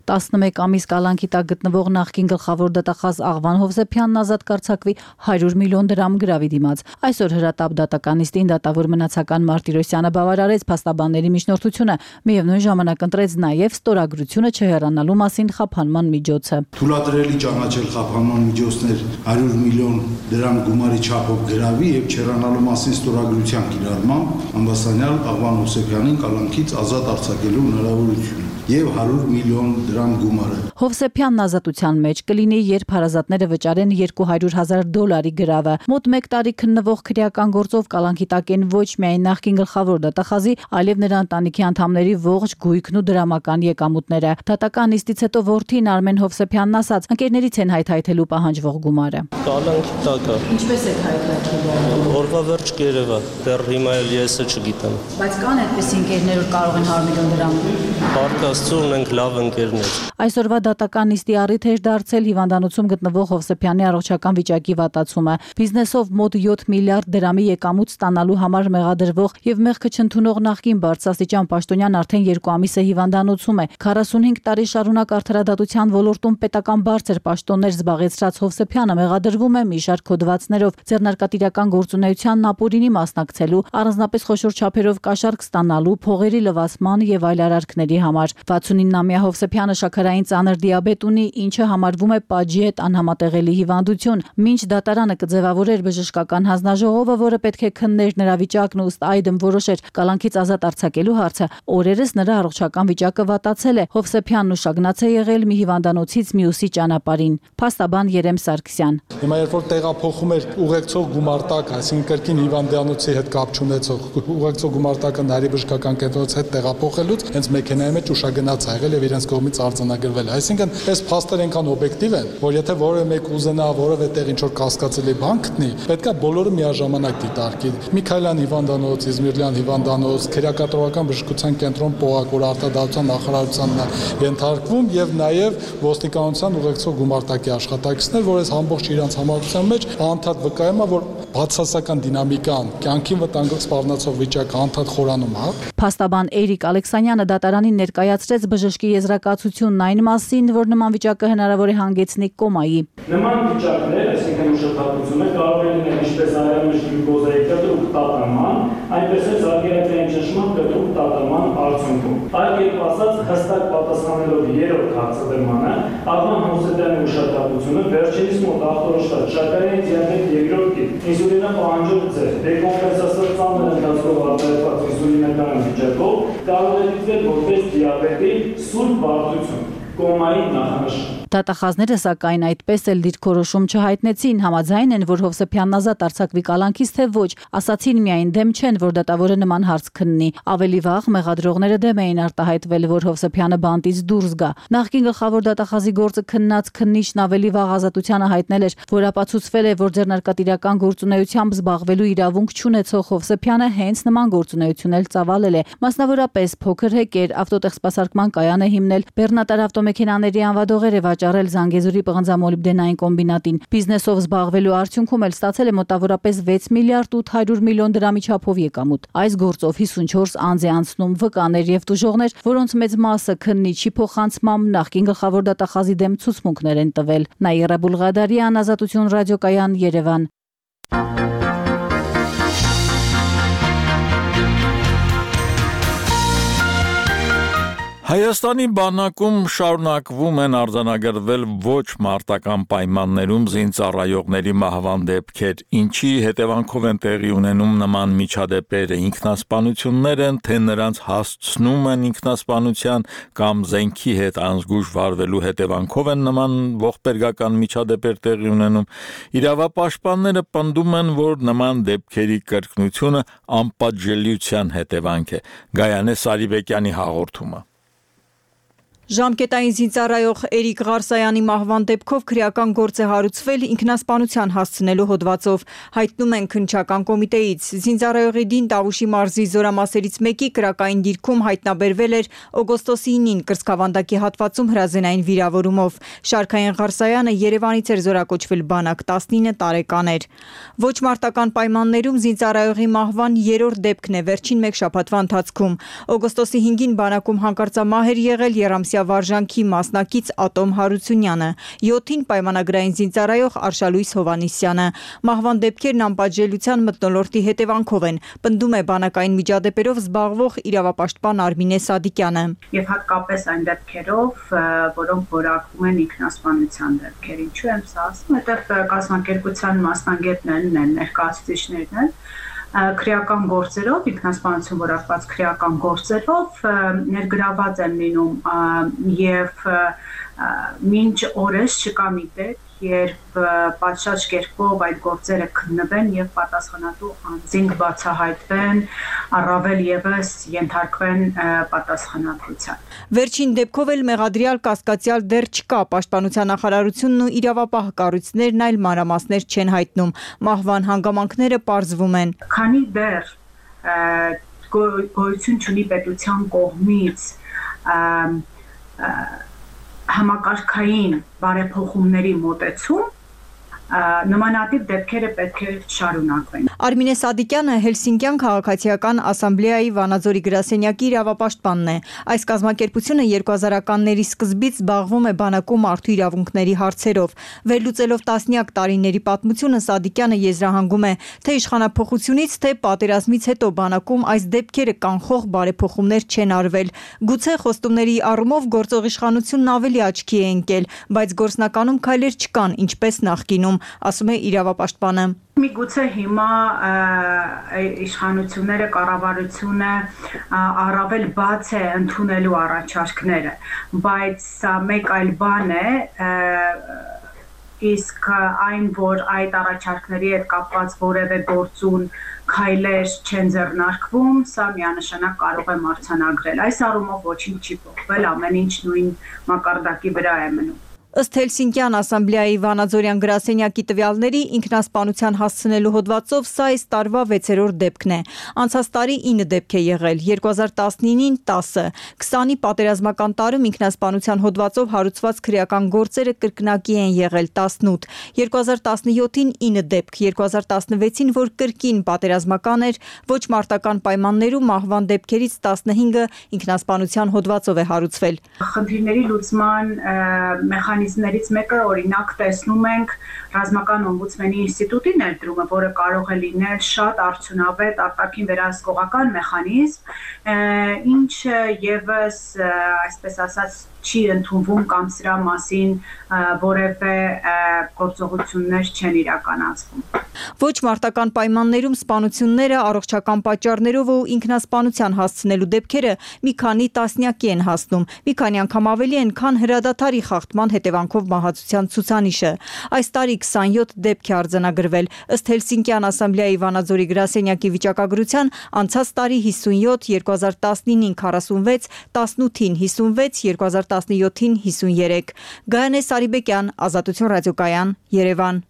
11 ամիս կալանքի տակ գտնվող նախկին գլխավոր դատախազ Աղվան Հովսեփյանն ազատ կարձակվի 100 միլիոն դրամ գրավի դիմաց։ Այսօր հրատապ դատականիստին դատավոր մնացական Մարտիրոսյանը բավարարեց փաստաբանների միջնորդությունը, միևնույն ժամանակ ընտրեց նաև ստորագրությունը չհեռանալու մասին խափանման միջոցը։ Թույլատրելի ճանաչել խափանման միջոցներ 100 միլիոն դրամ գումարի չափով գրավի եւ չհեռանալու մասին ստորագրության կիրառմամբ ամբաստանյալ Աղվան Հովսեփյանին կալանքից ազատ արձակելու հնարավորություն եւ 100 միլիոն դրամ գումարը։ Հովսեփյանն ազատության մեջ կլինի, երբ հարազատները վճարեն $200,000 գրավը։ Մոտ 1 տարի քննվող քրեական գործով կալանքի տակ են ոչ միայն նախկին գլխավոր դատախազի, այլև նրա ընտանիքի անդամների ողջ գույքն ու դրամական եկամուտները։ Դատական նիստից հետո որդին Արմեն Հովսեփյանն ասաց, ընկերներից են հայթայթելու պահանջվող գումարը։ Կալանքի տակ է։ Ինչպես եք հայթայթելու։ Օրվա վերջ կերևա, դեռ հիմա էլ ես չգիտեմ։ Բայց կան այդպիսի ընկերներ, որ կարող են 100 միլիոն դրամ։ Աստծո ունենք լավ ընկերներ։ Այսօրվա դատական նիստի առիթ էր դարձել հիվանդանոցում գտնվող Հովսեփյանի առողջական վիճակի վատացումը։ Բիզնեսով մոտ 7 միլիարդ դրամի եկամուտ ստանալու համար մեղադրվող եւ մեղքը չընդունող նախկին բարձրաստիճան պաշտոնյան արդեն 2 ամիս է հիվանդանոցում է։ 45 տարի շարունակ արդարադատության ոլորտում պետական բարձր պաշտոններ զբաղեցրած Հովսեփյանը մեղադրվում է մի շարք հոդվածներով ձեռնարկատիրական գործունեությանն ապօրինի մասնակցելու, առանձնապես խոշոր չափերով կաշառք ստանալու, փողերի լվացման եւ այլ արարքների համար։ 69-ամյա Հովսեփյանը շաքարային ծանր դիաբետ ունի, ինչը համարվում է պատժի հետ անհամատեղելի հիվանդություն։ Մինչ դատարանը կձևավորեր բժշկական հանձնաժողովը, որը պետք է քններ նրա վիճակն ու ըստ այդմ որոշեր կալանքից ազատ արձակելու հարցը, օրերս նրա առողջական վիճակը վատացել է։ Հովսեփյանն ուշագնաց է եղել մի հիվանդանոցից մյուսի ճանապարհին։ Փաստաբան Երեմ Սարգսյան։ Հիմա երբ որ տեղափոխում էր ուղեկցող գումարտակ, այսինքն կրկին հիվանդանոցի հետ կապ չունեցող ուղեկցող գումարտակը Նարի բժշկական կենտրոնից հետ տեղափոխելուց հենց մեքենայի մեջ ուշագնաց ա եղել եւ իրենց կողմից արձանագրվել։ Այսինքն այս փաստերը այնքան օբյեկտիվ են, որ եթե որևէ մեկ ուզենա որևէ տեղ ինչ որ կասկածելի բան գտնի, պետքա բոլորը միաժամանակ դիտարկի։ Միքայելյան հիվանդանոց, Իզմիրլյան հիվանդանոց, քերակատրողական բժշկության կենտրոն Պողակ, որ արտադրության նախարարությանն է ենթարկվում եւ նաեւ ոստիկանության ուղեկցող գումարտակի աշխատակիցներ, որ այս ամբողջ իրանց համակցության մեջ անդադ վկայում է, որ բացասական դինամիկան, կյանքին վտանգ սպառնացող վիճակը անդադ խորանում է։ Փաստաբան Էրիկ Ալեքսանյանը դատարանին ներկայացրեց բժշկի եզրակացությունն այն մասին, որ նման վիճակը հնարավոր է հանգեցնի կոմայի։ Նման վիճակներ, այսինքն ուշադրությունը կարող է լինել ինչպես արյունոց գլյուկոզայի կտրուկ տատանման, այնպես էլ զարգացած ճնշման կտրուկ տատանման արդյունքում։ Այլ կերպ ասած, հստակ պատասխանելով երրորդ հարցադրմանը, Աղվան Հովսեփյանի ուշադրությունը վերջինիս մոտ ախտորոշված շաքարային դիաբետ երկրորդ տիպ ինսուլինը պահանջող ձև, դեկոմպենսացիոն ծանր ընթացքով արտադրված ինսուլինական վիճակով կարող է դիտվել որպես դիաբետի սուր բարդություն, կոմայի նախանշան։ Դատախազները սակայն այդպես էլ դիրքորոշում չհայտնեցին, համաձայն են, որ Հովսեփյանն ազատ արձակվի կալանքից, թե ոչ, ասացին միայն դեմ չեն, որ դատավորը նման հարց քննի։ Ավելի վաղ մեղադրողները դեմ էին արտահայտվել, որ Հովսեփյանը բանտից դուրս գա։ Նախկին գլխավոր դատախազի գործը քննած քննիչն ավելի վաղ ազատությանը հայտնել էր, որ ապացուցվել է, որ ձեռնարկատիրական գործունեությամբ զբաղվելու իրավունք չունեցող Հովսեփյանը հենց նման գործունեություն էլ ծավալել է։ Մասնավորապես փոքր հեկեր ավտոտեղ սպասարկման կայան է հիմնել, բեռնատար ավտոմեքենաների անվադողեր է վաճառել Զանգեզուրի պղնձամոլիբդենային կոմբինատին։ Բիզնեսով զբաղվելու արդյունքում էլ ստացել է մոտավորապես 6 միլիարդ 800 միլիոն դրամի չափով եկամուտ։ Այս գործով 54 անձ է անցնում վկաներ եւ տուժողներ, որոնց մեծ մասը քննիչի փոխանցմամբ նախկին գլխավոր դատախազի դեմ ցուցմունքներ են տվել։ Նաիրա Բուլղադարյան, Ազատություն ռադիոկայան, Երևան։ Հայաստանի բանակում շարունակվում են արձանագրվել ոչ մարտական պայմաններում զինծառայողների մահվան դեպքեր, ինչի հետևանքով են տեղի ունենում նման միջադեպերը, ինքնասպանություններ են, թե նրանց հասցնում են ինքնասպանության կամ զենքի հետ անզգույշ վարվելու հետևանքով են նման ողբերգական միջադեպեր տեղի ունենում։ Իրավապաշտպանները պնդում են, որ նման դեպքերի կրկնությունը անպատժելիության հետևանք է։ Գայանե Սարիբեկյանի հաղորդումը։ Ժամկետային զինծառայող Էրիկ Ղարսայանի մահվան դեպքով քրեական գործ է հարուցվել ինքնասպանության հասցնելու հոդվածով, հայտնում են քննչական կոմիտեից։ Զինծառայողի Դին Տավուշի մարզի զորամասերից մեկի կրակային դիրքում հայտնաբերվել էր օգոստոսի 9-ին կրծքավանդակի հատվածում հրազենային վիրավորումով։ Շարքային Ղարսայանը Երևանից էր զորակոչվել բանակ, 19 տարեկան էր։ Ոչ մարտական պայմաններում զինծառայողի մահվան երրորդ դեպքն է վերջին մեկ շաբաթվա ընթացքում։ Օգոստոսի 5-ին բանակում հանկարծամահ էր եղել Եռամսյա վարժանքի մասնակից Ատոմ Հարությունյանը, 7-ին պայմանագրային զինծառայող Արշալույս Հովանիսյանը։ Մահվան դեպքերն անպատժելիության մթնոլորտի հետևանքով են, պնդում է բանակային միջադեպերով զբաղվող իրավապաշտպան Արմինե Սադիկյանը։ Եվ հատկապես այն դեպքերով, որոնք որակվում են ինքնասպանության դեպքեր։ Ինչու եմ սա ասում, որտեղ կազմակերպության մասնագետներն են, ներկայացուցիչներն են, քրեական գործերով, ինքնասպանություն որակված քրեական գործերով ներգրաված են լինում եւ մինչ օրս չկա մի դեպք, երբ պատշաճ կերպով այդ գործերը քննվեն եւ պատասխանատու անձինք բացահայտվեն, առավել եւս ենթարկվեն պատասխանատվության։ Վերջին դեպքով էլ մեղադրյալ կասկածյալ դեռ չկա, պաշտպանության նախարարությունն ու իրավապահ կառույցներն այլ մանրամասներ չեն հայտնում։ Մահվան հանգամանքները պարզվում են։ Քանի դեռ գոյություն չունի պետության կողմից համակարգային բարեփոխումների մոտեցում, նմանատիպ դեպքերը պետք է շարունակվեն։ Արմինե Սադիկյանը Հելսինկյան քաղաքացիական ասամբլեայի Վանաձորի գրասենյակի իրավապաշտպանն է։ Այս կազմակերպությունը 2000-ականների սկզբից զբաղվում է բանակում մարդու իրավունքների հարցերով։ Վերլուծելով տասնյակ տարիների պատմությունը Սադիկյանը եզրահանգում է, թե իշխանափոխությունից, թե պատերազմից հետո բանակում այս դեպքերը կանխող բարեփոխումներ չեն արվել։ Գուցե խոստումների առումով գործող իշխանությունն ավելի աչքի է ընկել, բայց գործնականում քայլեր չկան, ինչպես նախկինում, ասում է իրավապաշտպանը։ Միգուցե հիմա իշխանությունները, կառավարությունը առավել բաց է ընդունելու առաջարկները, բայց սա մեկ այլ բան է, իսկ այն, որ այդ առաջարկների հետ կապված որևէ գործուն քայլեր չեն ձեռնարկվում, սա միանշանակ կարող է մարտհանագրել։ Այս առումով ոչինչ չի փոխվել, ամեն ինչ նույն մակարդակի վրա է մնում։ Ըստ Հելսինկյան ասամբլեայի Վանաձորյան գրասենյակի տվյալների ինքնասպանության հասցնելու հոդվածով սա այս տարվա 6-րդ դեպքն է։ Անցած տարի 9 դեպք է եղել, 2019-ին 10, 20-ի պատերազմական տարում ինքնասպանության հոդվածով հարուցված քրեական գործերը կրկնակի են եղել 18, 2017-ին 9 դեպք, 2016-ին, որ կրկին պատերազմական էր, ոչ մարտական պայմաններում մահվան դեպքերից 15-ը ինքնասպանության հոդվածով է հարուցվել։ Խնդիրների լուծման մեխանիզմներից մեկը, օրինակ, տեսնում ենք ռազմական օմբուդսմենի ինստիտուտի ներդրումը, որը կարող է լինել շատ արդյունավետ արտաքին վերահսկողական մեխանիզմ, ինչը եւս, այսպես ասած, չի ընդունվում կամ սրա մասին որևէ գործողություններ չեն իրականացվում։ Ոչ մարտական պայմաններում սպանությունները առողջական պատճառներով ու ինքնասպանության հասցնելու դեպքերը մի քանի տասնյակի են հասնում, մի քանի անգամ ավելի են, քան հրադադարի խախտման հետևանքով մահացության ցուցանիշը։ Այս տարի 27 դեպք է արձանագրվել, ըստ Հելսինկյան ասամբլեայի Վանաձորի գրասենյակի վիճակագրության, անցած տարի 57, 2019-ին 46, 18-ին 56, 2017-ին 53։ Գայանե Սարիբեկյան, Ազատություն ռադիոկայան, Երևան։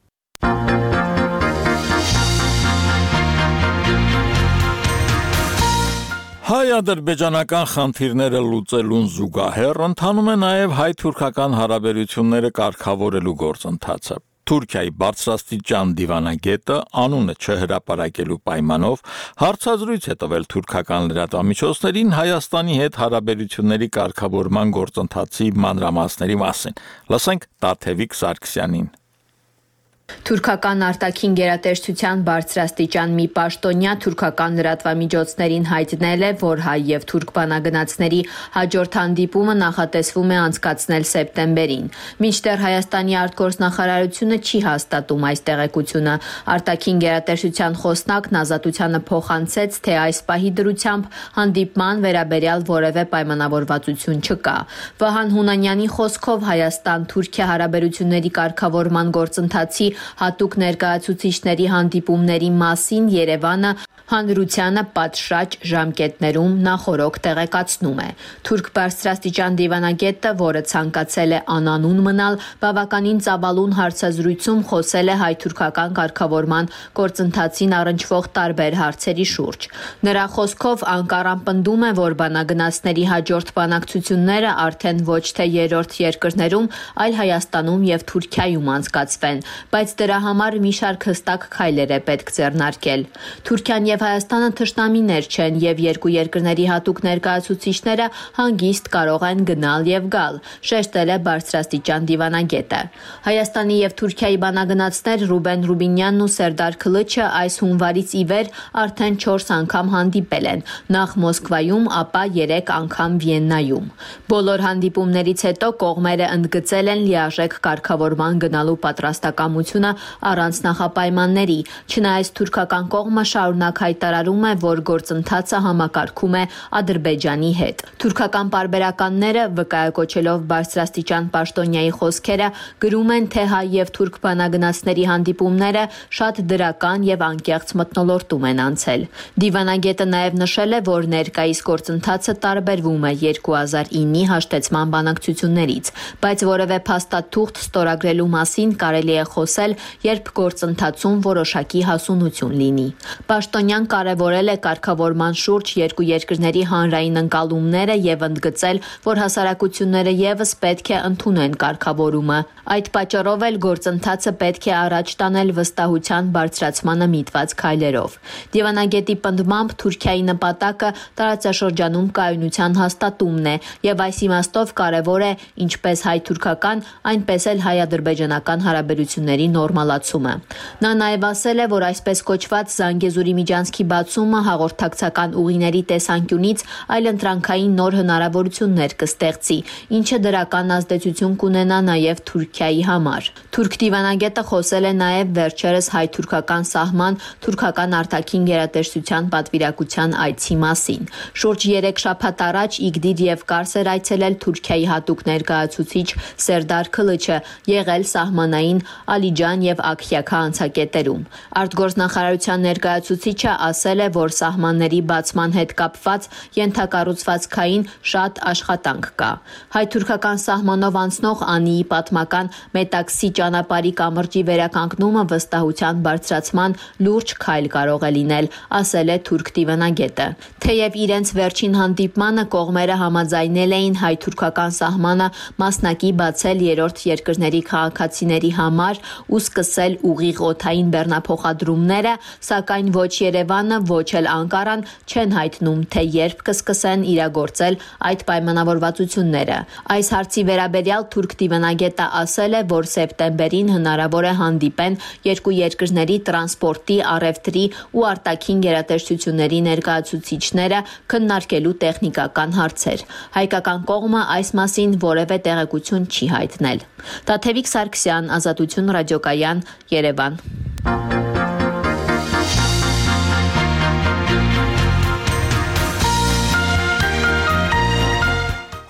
Հայ-ադրբեջանական խնդիրները լուծելուն զուգահեռ ընթանում է նաև հայ-թուրքական հարաբերությունները կարգավորելու գործընթացը։ Թուրքիայի բարձրաստիճան դիվանագետը անունը չհրապարակելու պայմանով հարցազրույց է տվել թուրքական լրատվամիջոցներին Հայաստանի հետ հարաբերությունների կարգավորման գործընթացի մանրամասների մասին։ Լսենք Տաթևիկ Սարգսյանին։ Թուրքական արտաքին գերատեսչության բարձրաստիճան մի պաշտոնյա թուրքական լրատվամիջոցներին հայտնել է, որ հայ եւ թուրք բանագնացների հաջորդ հանդիպումը նախատեսվում է անցկացնել սեպտեմբերին։ Մինչդեռ Հայաստանի արտգործնախարարությունը չի հաստատում այս տեղեկությունը։ Արտաքին գերատեսչության խոսնակն Ազատությանը փոխանցեց, թե այս պահի դրությամբ հանդիպման վերաբերյալ որևէ պայմանավորվածություն չկա։ Վահան Հունանյանի խոսքով Հայաստան-Թուրքիա հարաբերությունների կարգավորման գործընթացի հատուկ ներկայացուցիչների հանդիպումների մասին Երևանը հանրությանը պատշաճ ժամկետներում նախօրոք տեղեկացնում է։ Թուրք բարձրաստիճան դիվանագետը, որը ցանկացել է անանուն մնալ, բավականին ծավալուն հարցազրույցում խոսել է հայ-թուրքական կարգավորման գործընթացին առնչվող տարբեր հարցերի շուրջ։ Նրա խոսքով Անկարան պնդում է, որ բանագնացների հաջորդ բանակցությունները արդեն ոչ թե երրորդ երկրներում, այլ Հայաստանում եւ Թուրքիայում անցկացվեն, բայց դրա համար մի շարք հստակ քայլեր է պետք ձեռնարկել։ Թուրքիան եւ Հայաստանը թշնամիներ չեն եւ երկու երկրների հատուկ ներկայացուցիչները հանգիստ կարող են գնալ եւ գալ, շեշտել է բարձրաստիճան դիվանագետը։ Հայաստանի եւ Թուրքիայի բանագնացներ Ռուբեն Ռուբինյանն ու Սերդար Քլիչը այս հունվարից ի վեր արդեն 4 անգամ հանդիպել են, նախ Մոսկվայում, ապա 3 անգամ Վիեննայում։ Բոլոր հանդիպումներից հետո կողմերը ընդգծել են լիարժեք կարգավորման գնալու պատրաստակամությունը առանց նախապայմանների, չնայած թուրքական կողմը շարունակ հայտարարում է, որ գործընթացը համակարգում է Ադրբեջանի հետ։ Թուրքական պարբերականները, վկայակոչելով բարձրաստիճան պաշտոնյայի խոսքերը, գրում են, թե հայ եւ թուրք բանագնացների հանդիպումները շատ դրական եւ անկեղծ մթնոլորտում են անցել։ Դիվանագետը նաեւ նշել է, որ ներկայիս գործընթացը տարբերվում է 2009-ի հաշտեցման բանակցություններից, բայց որևէ փաստաթուղթ ստորագրելու մասին կարելի է խոսել, երբ գործընթացում որոշակի հասունություն լինի։ Պաշտոնյան կարևորել է կարգավորման շուրջ երկու երկրների հանրային ընկալումները եւ ընդգծել, որ հասարակությունները եւս պետք է ընդունեն կարգավորումը։ Այդ պատճառով էլ գործընթացը պետք է առաջ տանել վստահության բարձրացմանը միտված քայլերով։ Դիվանագետի պնդմամբ Թուրքիայի նպատակը տարածաշրջանում կայունության հաստատումն է եւ այս իմաստով կարևոր է ինչպես հայ-թուրքական, այնպես էլ հայ-ադրբեջանական հարաբերությունների նորմալացումը։ Նա նաեւ ասել է, որ այսպես կոչված Զանգեզուրի միջանցքի բացումը հաղորդակցական ուղիների տեսանկյունից այլընտրանքային նոր հնարավորություններ կստեղծի, ինչը դրական ազդեցություն կունենա նաեւ Թուրքիայի համար։ Թուրք դիվանագետը խոսել է նաեւ վերջերս հայ-թուրքական սահման թուրքական արտաքին գերատեսչության պատվիրակության այցի մասին։ Շուրջ 3 շաբաթ առաջ Իգդիր եւ Կարս էր այցելել Թուրքիայի հատուկ ներկայացուցիչ Սերդար Քլիչը, եղել սահմանային Ալիջան եւ Աքյաքա անցակետերում։ Արտգործնախարարության ներկայացուցիչը ասել է, որ սահմանների բացման հետ կապված ենթակառուցվածքային շատ աշխատանք կա։ Հայ-թուրքական սահմանով անցնող Անիի պատմական Մետաքսի ճանապարհի կամրջի վերականգնումը վստահության բարձրացման լուրջ քայլ կարող է լինել, ասել է թուրք դիվանագետը։ Թեև իրենց վերջին հանդիպմանը կողմերը համաձայնել էին հայ-թուրքական սահմանը մասնակի բացել երրորդ երկրների քաղաքացիների համար ու սկսել ուղիղ օդային բեռնափոխադրումները, սակայն ոչ Երևանը, ոչ էլ Անկարան չեն հայտնում, թե երբ կսկսեն իրագործել այդ պայմանավորվածությունները։ Այս հարցի վերաբերյալ թուրք դիվանագետը ասել է, որ սեպտեմբերին հնարավոր է հանդիպեն երկու երկրների տրանսպորտի, առևտրի ու արտաքին գերատեսչությունների ներկայացուցիչները քննարկելու տեխնիկական հարցեր։ Հայկական կողմը այս մասին որևէ տեղեկություն չի հայտնել։ Տաթևիկ Սարգսյան, Ազատություն ռադիոկայան, Երևան։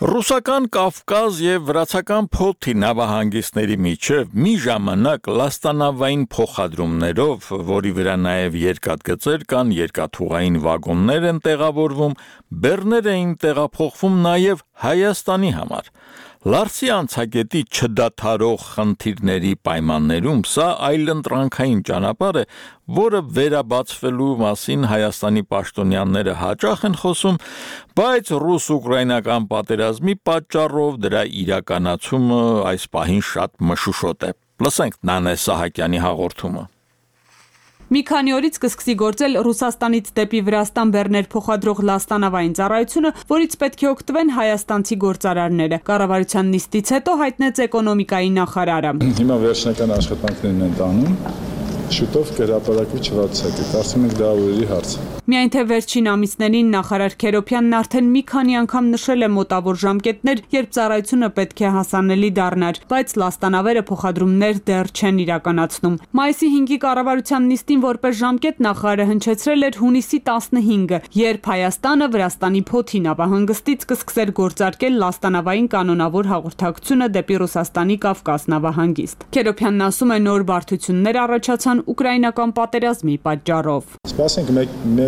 Ռուսական Կավկազ եւ վրացական Փոթի նավահանգիստների միջև մի ժամանակ լաստանավային փոխադրումներով, որի վրա նաեւ երկաթգծեր կան, երկաթուղային վագոններ են տեղավորվում, բեռներ էին տեղափոխվում նաեւ Հայաստանի համար։ Լարսի անցագետի չդադարող խնդիրների պայմաններում սա այլընտրանքային ճանապարհ է, որը վերաբացվելու մասին Հայաստանի պաշտոնյաները հաճախ են խոսում, բայց ռուս-ուկրաինական պատերազմի պատճառով դրա իրականացումը այս պահին շատ մշուշոտ է։ Լսենք Նանե Սահակյանի հաղորդումը։ Մի քանի օրից կսկսի գործել Ռուսաստանից դեպի Վրաստան բեռներ փոխադրող լաստանավային ծառայությունը, որից պետք է օգտվեն հայաստանցի գործարարները։ Կառավարության նիստից հետո հայտնեց էկոնոմիկայի նախարարը։ Հիմա վերջնական աշխատանքներն են տանում, շուտով կհրապարակվի չվարձակը, կարծում ենք դա օրերի հարց է։ Միայն թե վերջին ամիսներին նախարար Քերոփյանն արդեն մի քանի անգամ նշել է մոտավոր ժամկետներ, երբ ծառայությունը պետք է հասանելի դառնար, բայց լաստանավերը փոխադրումներ դեռ չեն իրականացնում։ Մայիսի 5-ի կառավարության նիստին որպես ժամկետ նախարարը հնչեցրել էր հունիսի 15-ը, երբ Հայաստանը Վրաստանի Փոթի նավահանգստից կսկսեր գործարկել լաստանավային կանոնավոր հաղորդակցությունը դեպի Ռուսաստանի Կավկաս նավահանգիստ։ Քերոփյանն ասում է, նոր բարդություններ առաջացան ուկրաինական պատերազմի պատճառով։ Սպասենք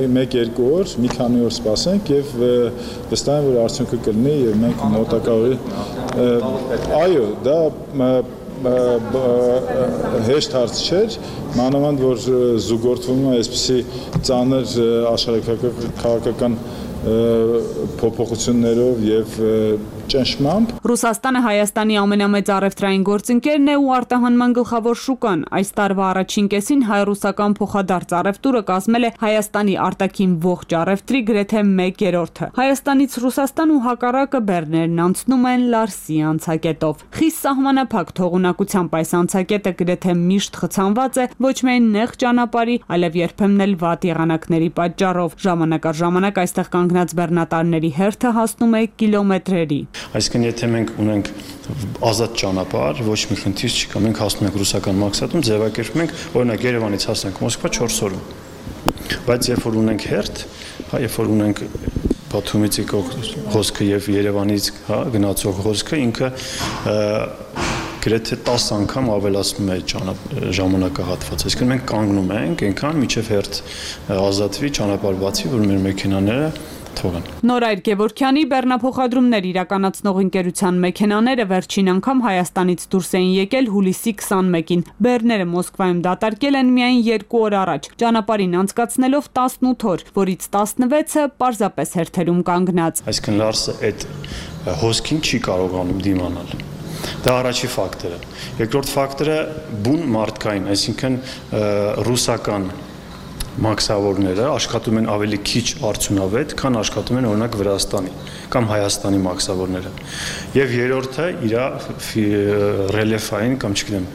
1-2 օր, մի քանի օր սպասենք եւ վստահ եմ, որ արդյունքը կլինի եւ մենք մոտակա օրի այո, դա հեշտ հարց չէր, մանավանդ որ զուգորդվում է այսպիսի ծանր աշխարհաքաղաքական փոփոխություններով եւ ճնշմամբ։ Ռուսաստանը Հայաստանի ամենամեծ առևտրային գործընկերն է ու արտահանման գլխավոր շուկան։ Այս տարվա առաջին կեսին հայ-ռուսական փոխադարձ առևտուրը կազմել է Հայաստանի արտաքին ողջ առևտրի գրեթե 1/3-ը։ Հայաստանից Ռուսաստան ու հակառակը բեռներն անցնում են Լարսի անցակետով։ Խիստ սահմանափակ թողունակությամբ այս անցակետը գրեթե միշտ խցանված է ոչ միայն նեղ ճանապարհի, այլև երբեմն էլ վատ եղանակների պատճառով։ Ժամանակ առ ժամանակ այստեղ կանգնած բեռնատարների հերթը հասնում է կիլոմետրերի։ Այսինքն եթե մենք ունենք ազատ ճանապարհ, ոչ մի խնդիր չկա, մենք հասնում ենք ռուսական մաքսատում, ձևակերպում ենք, օրինակ Երևանից հասանք Մոսկվա 4 օրում։ Բայց երբ որ ունենք հերթ, երբ որ ունենք Բաթումից եկող հոսքը եւ Երևանից գնացող հոսքը, ինքը գրեթե 10 անգամ ավելացնում է ժամանակահատվածը։ Այսինքն մենք կանգնում ենք այնքան, մինչև հերթ ազատվի, ճանապարհ բացի, որ մեր մեքենաները թողան։ Նորայր Գևորգյանի բեռնափոխադրումներ իրականացնող ընկերության մեքենաները վերջին անգամ Հայաստանից դուրս էին եկել հուլիսի 21-ին։ Բեռները Մոսկվայում դատարկել են միայն 2 օր առաջ, ճանապարհին անցկացնելով 18 օր, որից 16-ը պարզապես հերթերում կանգնած։ Այսինքն Լարսը այդ հոսքին չի կարողանում դիմանալ։ Դա առաջի ֆակտորը։ Երկրորդ ֆակտորը բուն մարդկային, այսինքն ռուսական մաքսավորները աշխատում են ավելի քիչ արդյունավետ, քան աշխատում են օրինակ Վրաստանի կամ Հայաստանի մաքսավորները։ Եվ երրորդը իր ռելիեֆային կամ չգիտեմ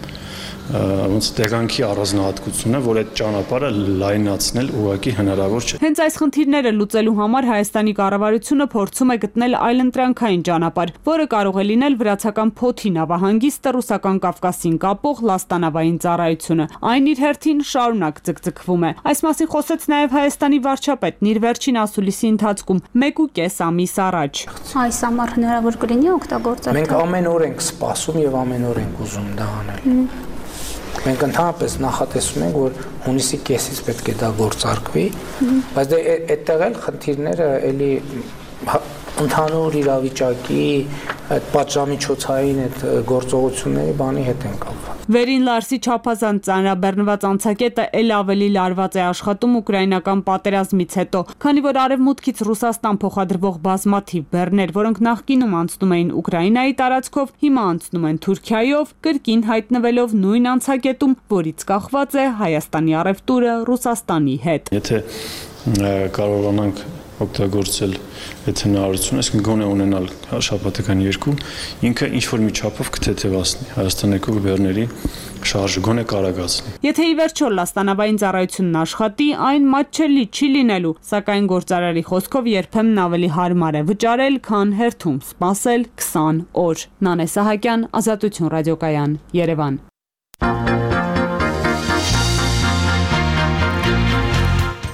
ոնց տեղանքի առանձնահատկությունն է, որ այդ ճանապարհը լայնացնել ուղղակի հնարավոր չէ։ Հենց այս խնդիրները լուծելու համար Հայաստանի կառավարությունը փորձում է գտնել այլընտրանքային ճանապարհ, որը կարող է լինել վրացական Փոթի նավահանգիստը ռուսական Կավկասին կապող լաստանավային ծառայությունը։ Այն իր հերթին շարունակ ձգձգվում է։ Այս մասին խոսեց նաև Հայաստանի վարչապետն իր վերջին ասուլիսի ընթացքում 1.5 ամիս առաջ։ Այս համար հնարավոր կլինի օգտագործել։ Մենք ամեն օր ենք սպասում եւ ամեն օր ենք ուզում դա անել։ Մենք ընդհանրապես նախատեսում ենք, որ հունիսի կեսից պետք է դա գործարկվի, բայց դե այդտեղ էլ խնդիրները էլի ընդհանուր իրավիճակի այդ պատժամիջոցային այդ գործողությունների բանի հետ են կապված։ Վերին Լարսի չափազանց ծանրաբեռնված անցակետը ել ավելի լարված է աշխատում ուկրաինական պատերազմից հետո, քանի որ արևմուտքից Ռուսաստան փոխադրվող բազմաթիվ բեռներ, որոնք նախկինում անցնում էին Ուկրաինայի տարածքով, հիմա անցնում են Թուրքիայով, կրկին հայտնվելով նույն անցակետում, որից կախված է Հայաստանի առևտուրը Ռուսաստանի հետ։ Եթե կարողանանք օգտագործել այդ հնարավորությունը, այսինքն գոնե ունենալ շաբաթական 2, ինքը ինչ-որ մի չափով կթեթևացնի Հայաստանի եկող բեռների շարժը, գոնե կարագացնի։ Եթե ի վերջո լաստանավային ծառայությունն աշխատի, այն մատչելի չի լինելու, սակայն գործարարի խոսքով երբեմն ավելի հարմար է վճարել, քան հերթում սպասել 20 օր։ Նանե Սահակյան, Ազատություն ռադիոկայան, Երևան։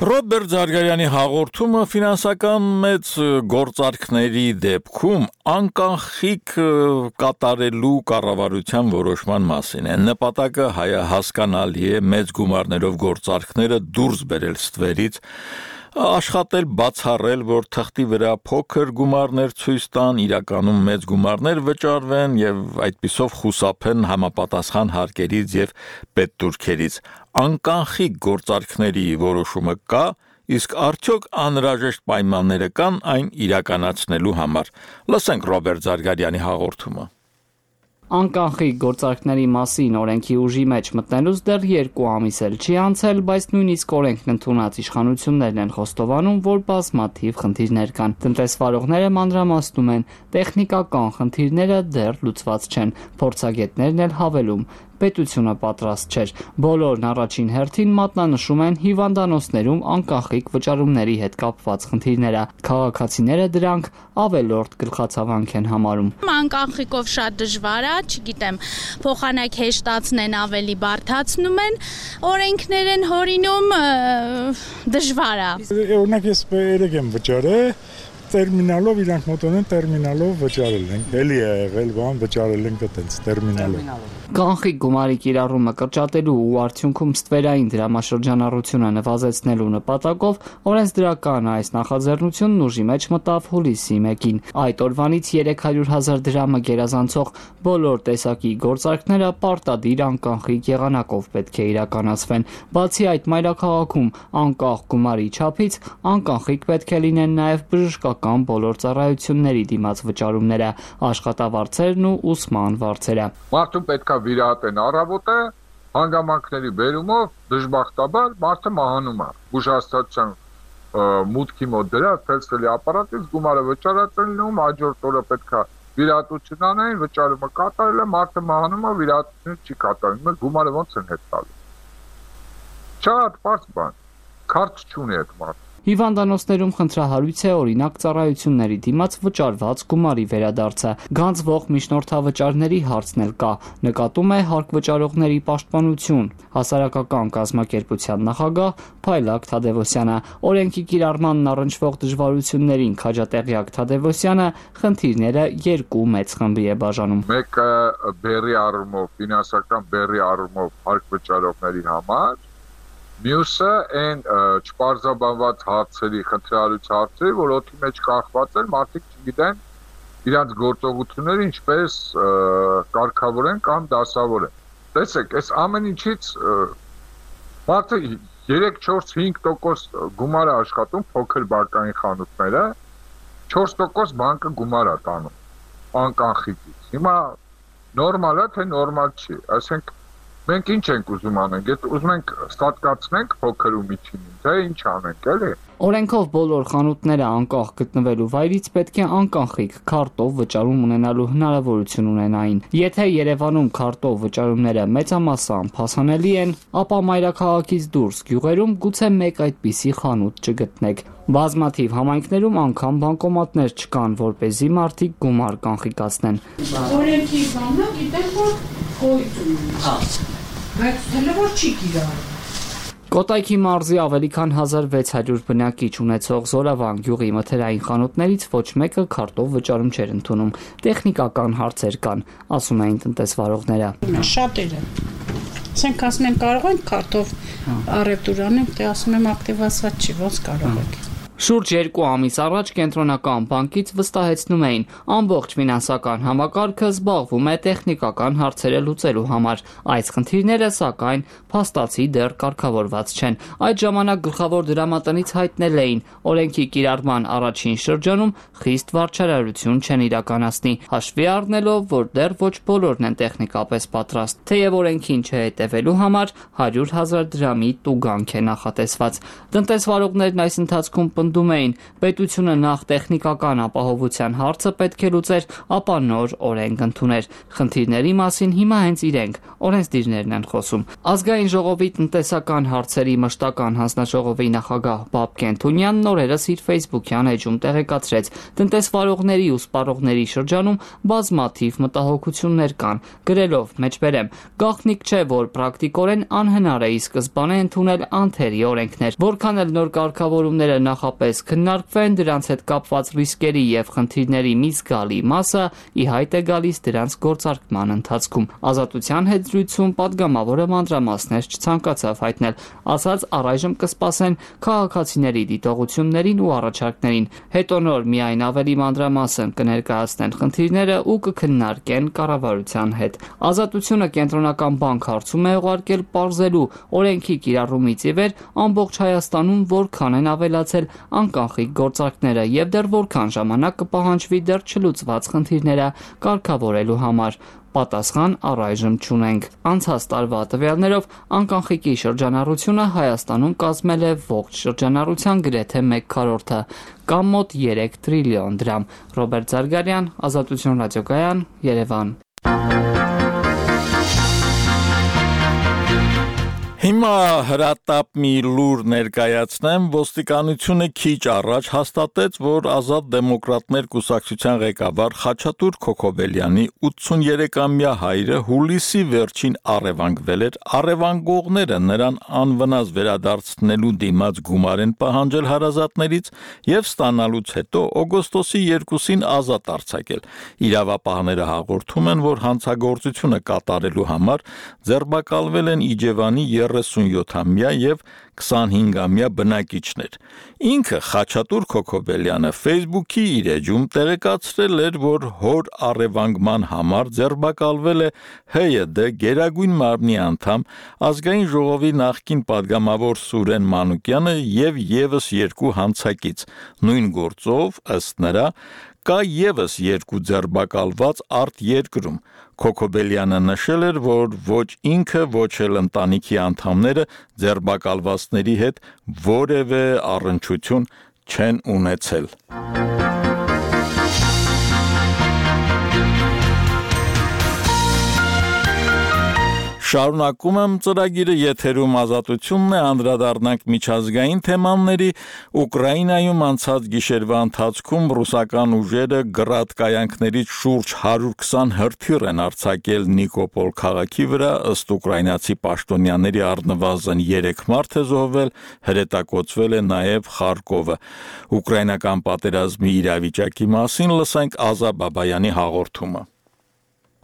Ռոբերտ Զարգարյանի հաղորդումը ֆինանսական մեծ գործարքների դեպքում անկանխիկ կատարելու կառավարության որոշման մասին է։ Նպատակը հասկանալի է մեծ գումարներով գործարքները դուրս բերել ստվերից, աշխատել բացառել, որ թղթի վրա փոքր գումարներ ցույց տան, իրականում մեծ գումարներ վճարվեն եւ այդպիսով խուսափեն համապատասխան հարկերից եւ պետտուրքերից։ Անկանխիկ գործարքների որոշումը կա, իսկ արդյոք անհրաժեշտ պայմանները կան այն իրականացնելու համար։ Լսենք Ռոբերտ Զարգարյանի հաղորդումը։ Անկանխիկ գործարքների մասին օրենքի ուժի մեջ մտնելուց դեռ 2 ամիս էլ չի անցել, բայց նույնիսկ օրենքն ընդունած իշխանություններն են խոստովանում, որ բազմաթիվ խնդիրներ կան։ Տնտեսվարողները մանրամասնում են, տեխնիկական խնդիրները դեռ լուծված չեն։ Փորձագետներն էլ հավելում, պետությունը պատրաստ չէր։ Բոլորն առաջին հերթին մատնանշում են հիվանդանոցներում անկախիկ վճարումների հետ կապված խնդիրները։ Քաղաքացիները դրանք ավելորդ գլխացավանք են համարում։ Անկախիկով շատ դժվար է, չգիտեմ, փոխանակ հեշտացնեն, ավելի բարդացնում են, օրենքներ են հորինում, դժվար է։ Օրինակ ես երեք եմ վճարել, տերմինալով իրանք մոտոն են տերմինալով վճարել ենք։ Էլի է եղել, բան վճարել ենք այտենց տերմինալով։ Կանխիկ գումարի կիրառումը կրճատելու ու արդյունքում ստվերային դրամաշրջանառությունը նվազեցնելու նպատակով օրենսդրական այս նախաձեռնությունն ուժի մեջ մտավ հուլիսի 1-ին։ Այդ օրվանից 300,000 դրամը գերազանցող բոլոր տեսակի գործարքները պարտադիր անկանխիկ եղանակով պետք է իրականացվեն։ Բացի այդ, մայրաքաղաքում անկախ գումարի չափից անկանխիկ պետք է լինեն նաև բժշկական բոլոր ծառայությունների դիմաց վճարումները, աշխատավարձերն ու ուսման վարձերը։ Մարդուն պետք է վիրահատեն առավոտը, հանգամանքների բերումով դժբախտաբար մարդը մահանում է։ Բուժհաստատության մուտքի մոտ դրած ֆելսելի ապարատից գումարը վճարած են լինում, հաջորդ օրը պետք է վիրահատություն անեն, վճարումը կատարել է, մարդը մահանում է, վիրահատությունը չի կատարվում, գումարը ոնց են հետ տալու։ Շատ պարզ բան, քարտ չունի այդ մարդը։ Հիվանդանոցներում խնդրահարույց է օրինակ ծառայությունների դիմաց վճարված գումարի վերադարձը։ Գանձվող միջնորդավճարների հարցն էլ կա, նկատում է հարկ վճարողների պաշտպանություն։ Հասարակական կազմակերպության նախագահ Փայլակ Թադևոսյանը, օրենքի կիրառմանն առնչվող դժվարություններին քաջատեղյակ Թադևոսյանը խնդիրները երկու մեծ խմբի է բաժանում։ Մեկը բերի առումով, ֆինանսական բերի առումով հարկ վճարողների համար, մյուսը այն չպարզաբանված հարցերի, խնդրահարույց հարցերի, որ օդի մեջ կախված են, մարդիկ չգիտեն իրանց գործողությունները ինչպես կարգավորեն կամ դասավորեն։ Տեսեք, այս ամեն ինչից մարդը 3-4-5% գումար է աշխատում փոքր բակային խանութները, 4% բանկը գումար է տանում անկանխիկից։ Հիմա նորմալ է, թե նորմալ չի, այսինքն մենք ինչ ենք ուզում անենք, եթե ուզում ենք ստատկացնենք փոքր ու միջինին, թե ինչ անենք, էլի։ Օրենքով բոլոր խանութները անկախ գտնվելու վայրից պետք է անկանխիկ քարտով վճարում ունենալու հնարավորություն ունենային։ Եթե Երևանում քարտով վճարումները մեծամասամբ հասանելի են, ապա մայրաքաղաքից դուրս գյուղերում գուցե մեկ այդպիսի խանութ չգտնեք։ Բազմաթիվ համայնքներում անգամ բանկոմատներ չկան, որպեսզի մարդիկ գումար կանխիկացնեն։ Օրենքի բանը գիտեմ, որ գոյություն ունի։ Բայց հələ որ չի կիրառվում։ Կոտայքի մարզի ավելի քան 1600 բնակիչ ունեցող Զորավան գյուղի մթերային խանութներից ոչ մեկը քարտով վճարում չէր ընդունում։ Տեխնիկական հարցեր կան, ասում էին տնտեսվարողները։ Շատերը։ Ասենք ասում են կարող ենք քարտով առևտուր անենք, դե ասում եմ ակտիվացված չի, ոնց կարող եք։ Շուրջ 2 ամիս առաջ կենտրոնական բանկից վստահեցնում էին, ամբողջ ֆինանսական համակարգը զբաղվում է տեխնիկական հարցերը լուծելու համար։ Այս խնդիրները, սակայն, փաստացի դեռ կարգավորված չեն։ Այդ ժամանակ գլխավոր դրամատնից հայտնել էին, օրենքի կիրառման առաջին շրջանում խիստ վարչարարություն չեն իրականացնի, հաշվի առնելով, որ դեռ ոչ բոլորն են տեխնիկապես պատրաստ։ Թեև օրենքին չհետևելու համար 100,000 դրամի տուգանք է նախատեսված։ Տնտեսվարողներն այս ընթացքում պնդում էին, պետությունը նախ տեխնիկական ապահովության հարցը պետք է լուծեր, ապա նոր օրենք ընդուներ։ Խնդիրների մասին հիմա հենց իրենք, օրենսդիրներն են խոսում։ Ազգային ժողովի տնտեսական հարցերի մշտական հանձնաժողովի նախագահ Բաբկեն Թունյանն օրերս իր Facebook-յան էջում տեղեկացրեց, տնտեսվարողների ու սպառողների շրջանում բազմաթիվ մտահոգություններ կան, գրելով մեջբերեմ. գաղտնիք չէ, որ պրակտիկորեն անհնար է ի սկզբանե ընդունել անթերի օրենքներ, որքան էլ նոր կարգավորումները նախապես քննարկվեն, դրանց հետ կապված ռիսկերի եւ խնդիրների մի զգալի մասը ի հայտ է գալիս դրանց գործարկման ընթացքում։ Ազատության հետ զրույցում պատգամավորը մանրամասներ չցանկացավ հայտնել, ասաց առայժմ կսպասեն քաղաքացիների դիտողություններին ու առաջարկներին, հետո նոր միայն ավելի մանրամասն կներկայացնեն խնդիրները ու կքննարկեն կառավարության հետ։ Ազատությունը կենտրոնական բանկ հարցում է ուղարկել պարզելու օրենքի կիրառումից ի վեր ամբողջ Հայաստանում որքան են ավելացել անկանխիկ գործարքները եւ դեռ որքան ժամանակ կպահանջվի դեռ չլուծված խնդիրները կարգավորելու համար։ Պատասխան առայժմ չունենք։ Անցած տարվա տվյալներով անկանխիկի շրջանառությունը Հայաստանում կազմել է ողջ շրջանառության գրեթե 1/4-ը, կամ մոտ 3 տրիլիոն դրամ։ Ռոբերտ Զարգարյան, Ազատություն ռադիոկայան, Երևան։ Հիմա հրատապ մի լուր ներկայացնեմ, ոստիկանությունը քիչ առաջ հաստատեց, որ Ազատ դեմոկրատներ կուսակցության ղեկավար Խաչատուր Քոքոբելյանի 83-ամյա հայրը հուլիսի վերջին առևանգվել էր, առևանգողները նրան անվնաս վերադարձնելու դիմաց գումար են պահանջել հարազատներից եւ ստանալուց հետո օգոստոսի 2-ին ազատ արձակել։ Իրավապահները հաղորդում են, որ հանցագործությունը կատարելու համար ձերբակալվել են Իջևանի 37-ամյա եւ 25-ամյա բնակիչներ։ Ինքը Խաչատուր Քոքոբելյանը Facebook-ի իր էջում տեղեկացրել էր, որ հոր առևանգման համար ձերբակալվել է ՀՅԴ Գերագույն մարմնի անդամ ազգային ժողովի նախկին падգամավոր Սուրեն Մանուկյանը եւ եւս երկու հանցակից։ Նույն գործով ըստ նրա կա եւս երկու ձերբակալված արտերկրում։ Քոքոբելյանը նշել էր, որ ոչ ինքը, ոչ էլ ընտանիքի անդամները ձերբակալվածների հետ որևէ առնչություն չեն ունեցել։ Շարունակում եմ ծրագիրը, եթերում Ազատությունն է, անդրադառնանք միջազգային թեմաների։ Ուկրաինայում անցած գիշերվա ընթացքում ռուսական ուժերը գրադ կայանքներից շուրջ 120 հրթիռ են արձակել Նիկոպոլ քաղաքի վրա, ըստ ուկրաինացի պաշտոնյաների առնվազն 3 մարդ է զոհվել, հրետակոծվել է նաև Խարկովը։ Ուկրաինական պատերազմի իրավիճակի մասին լսենք Ազա Բաբայանի հաղորդումը։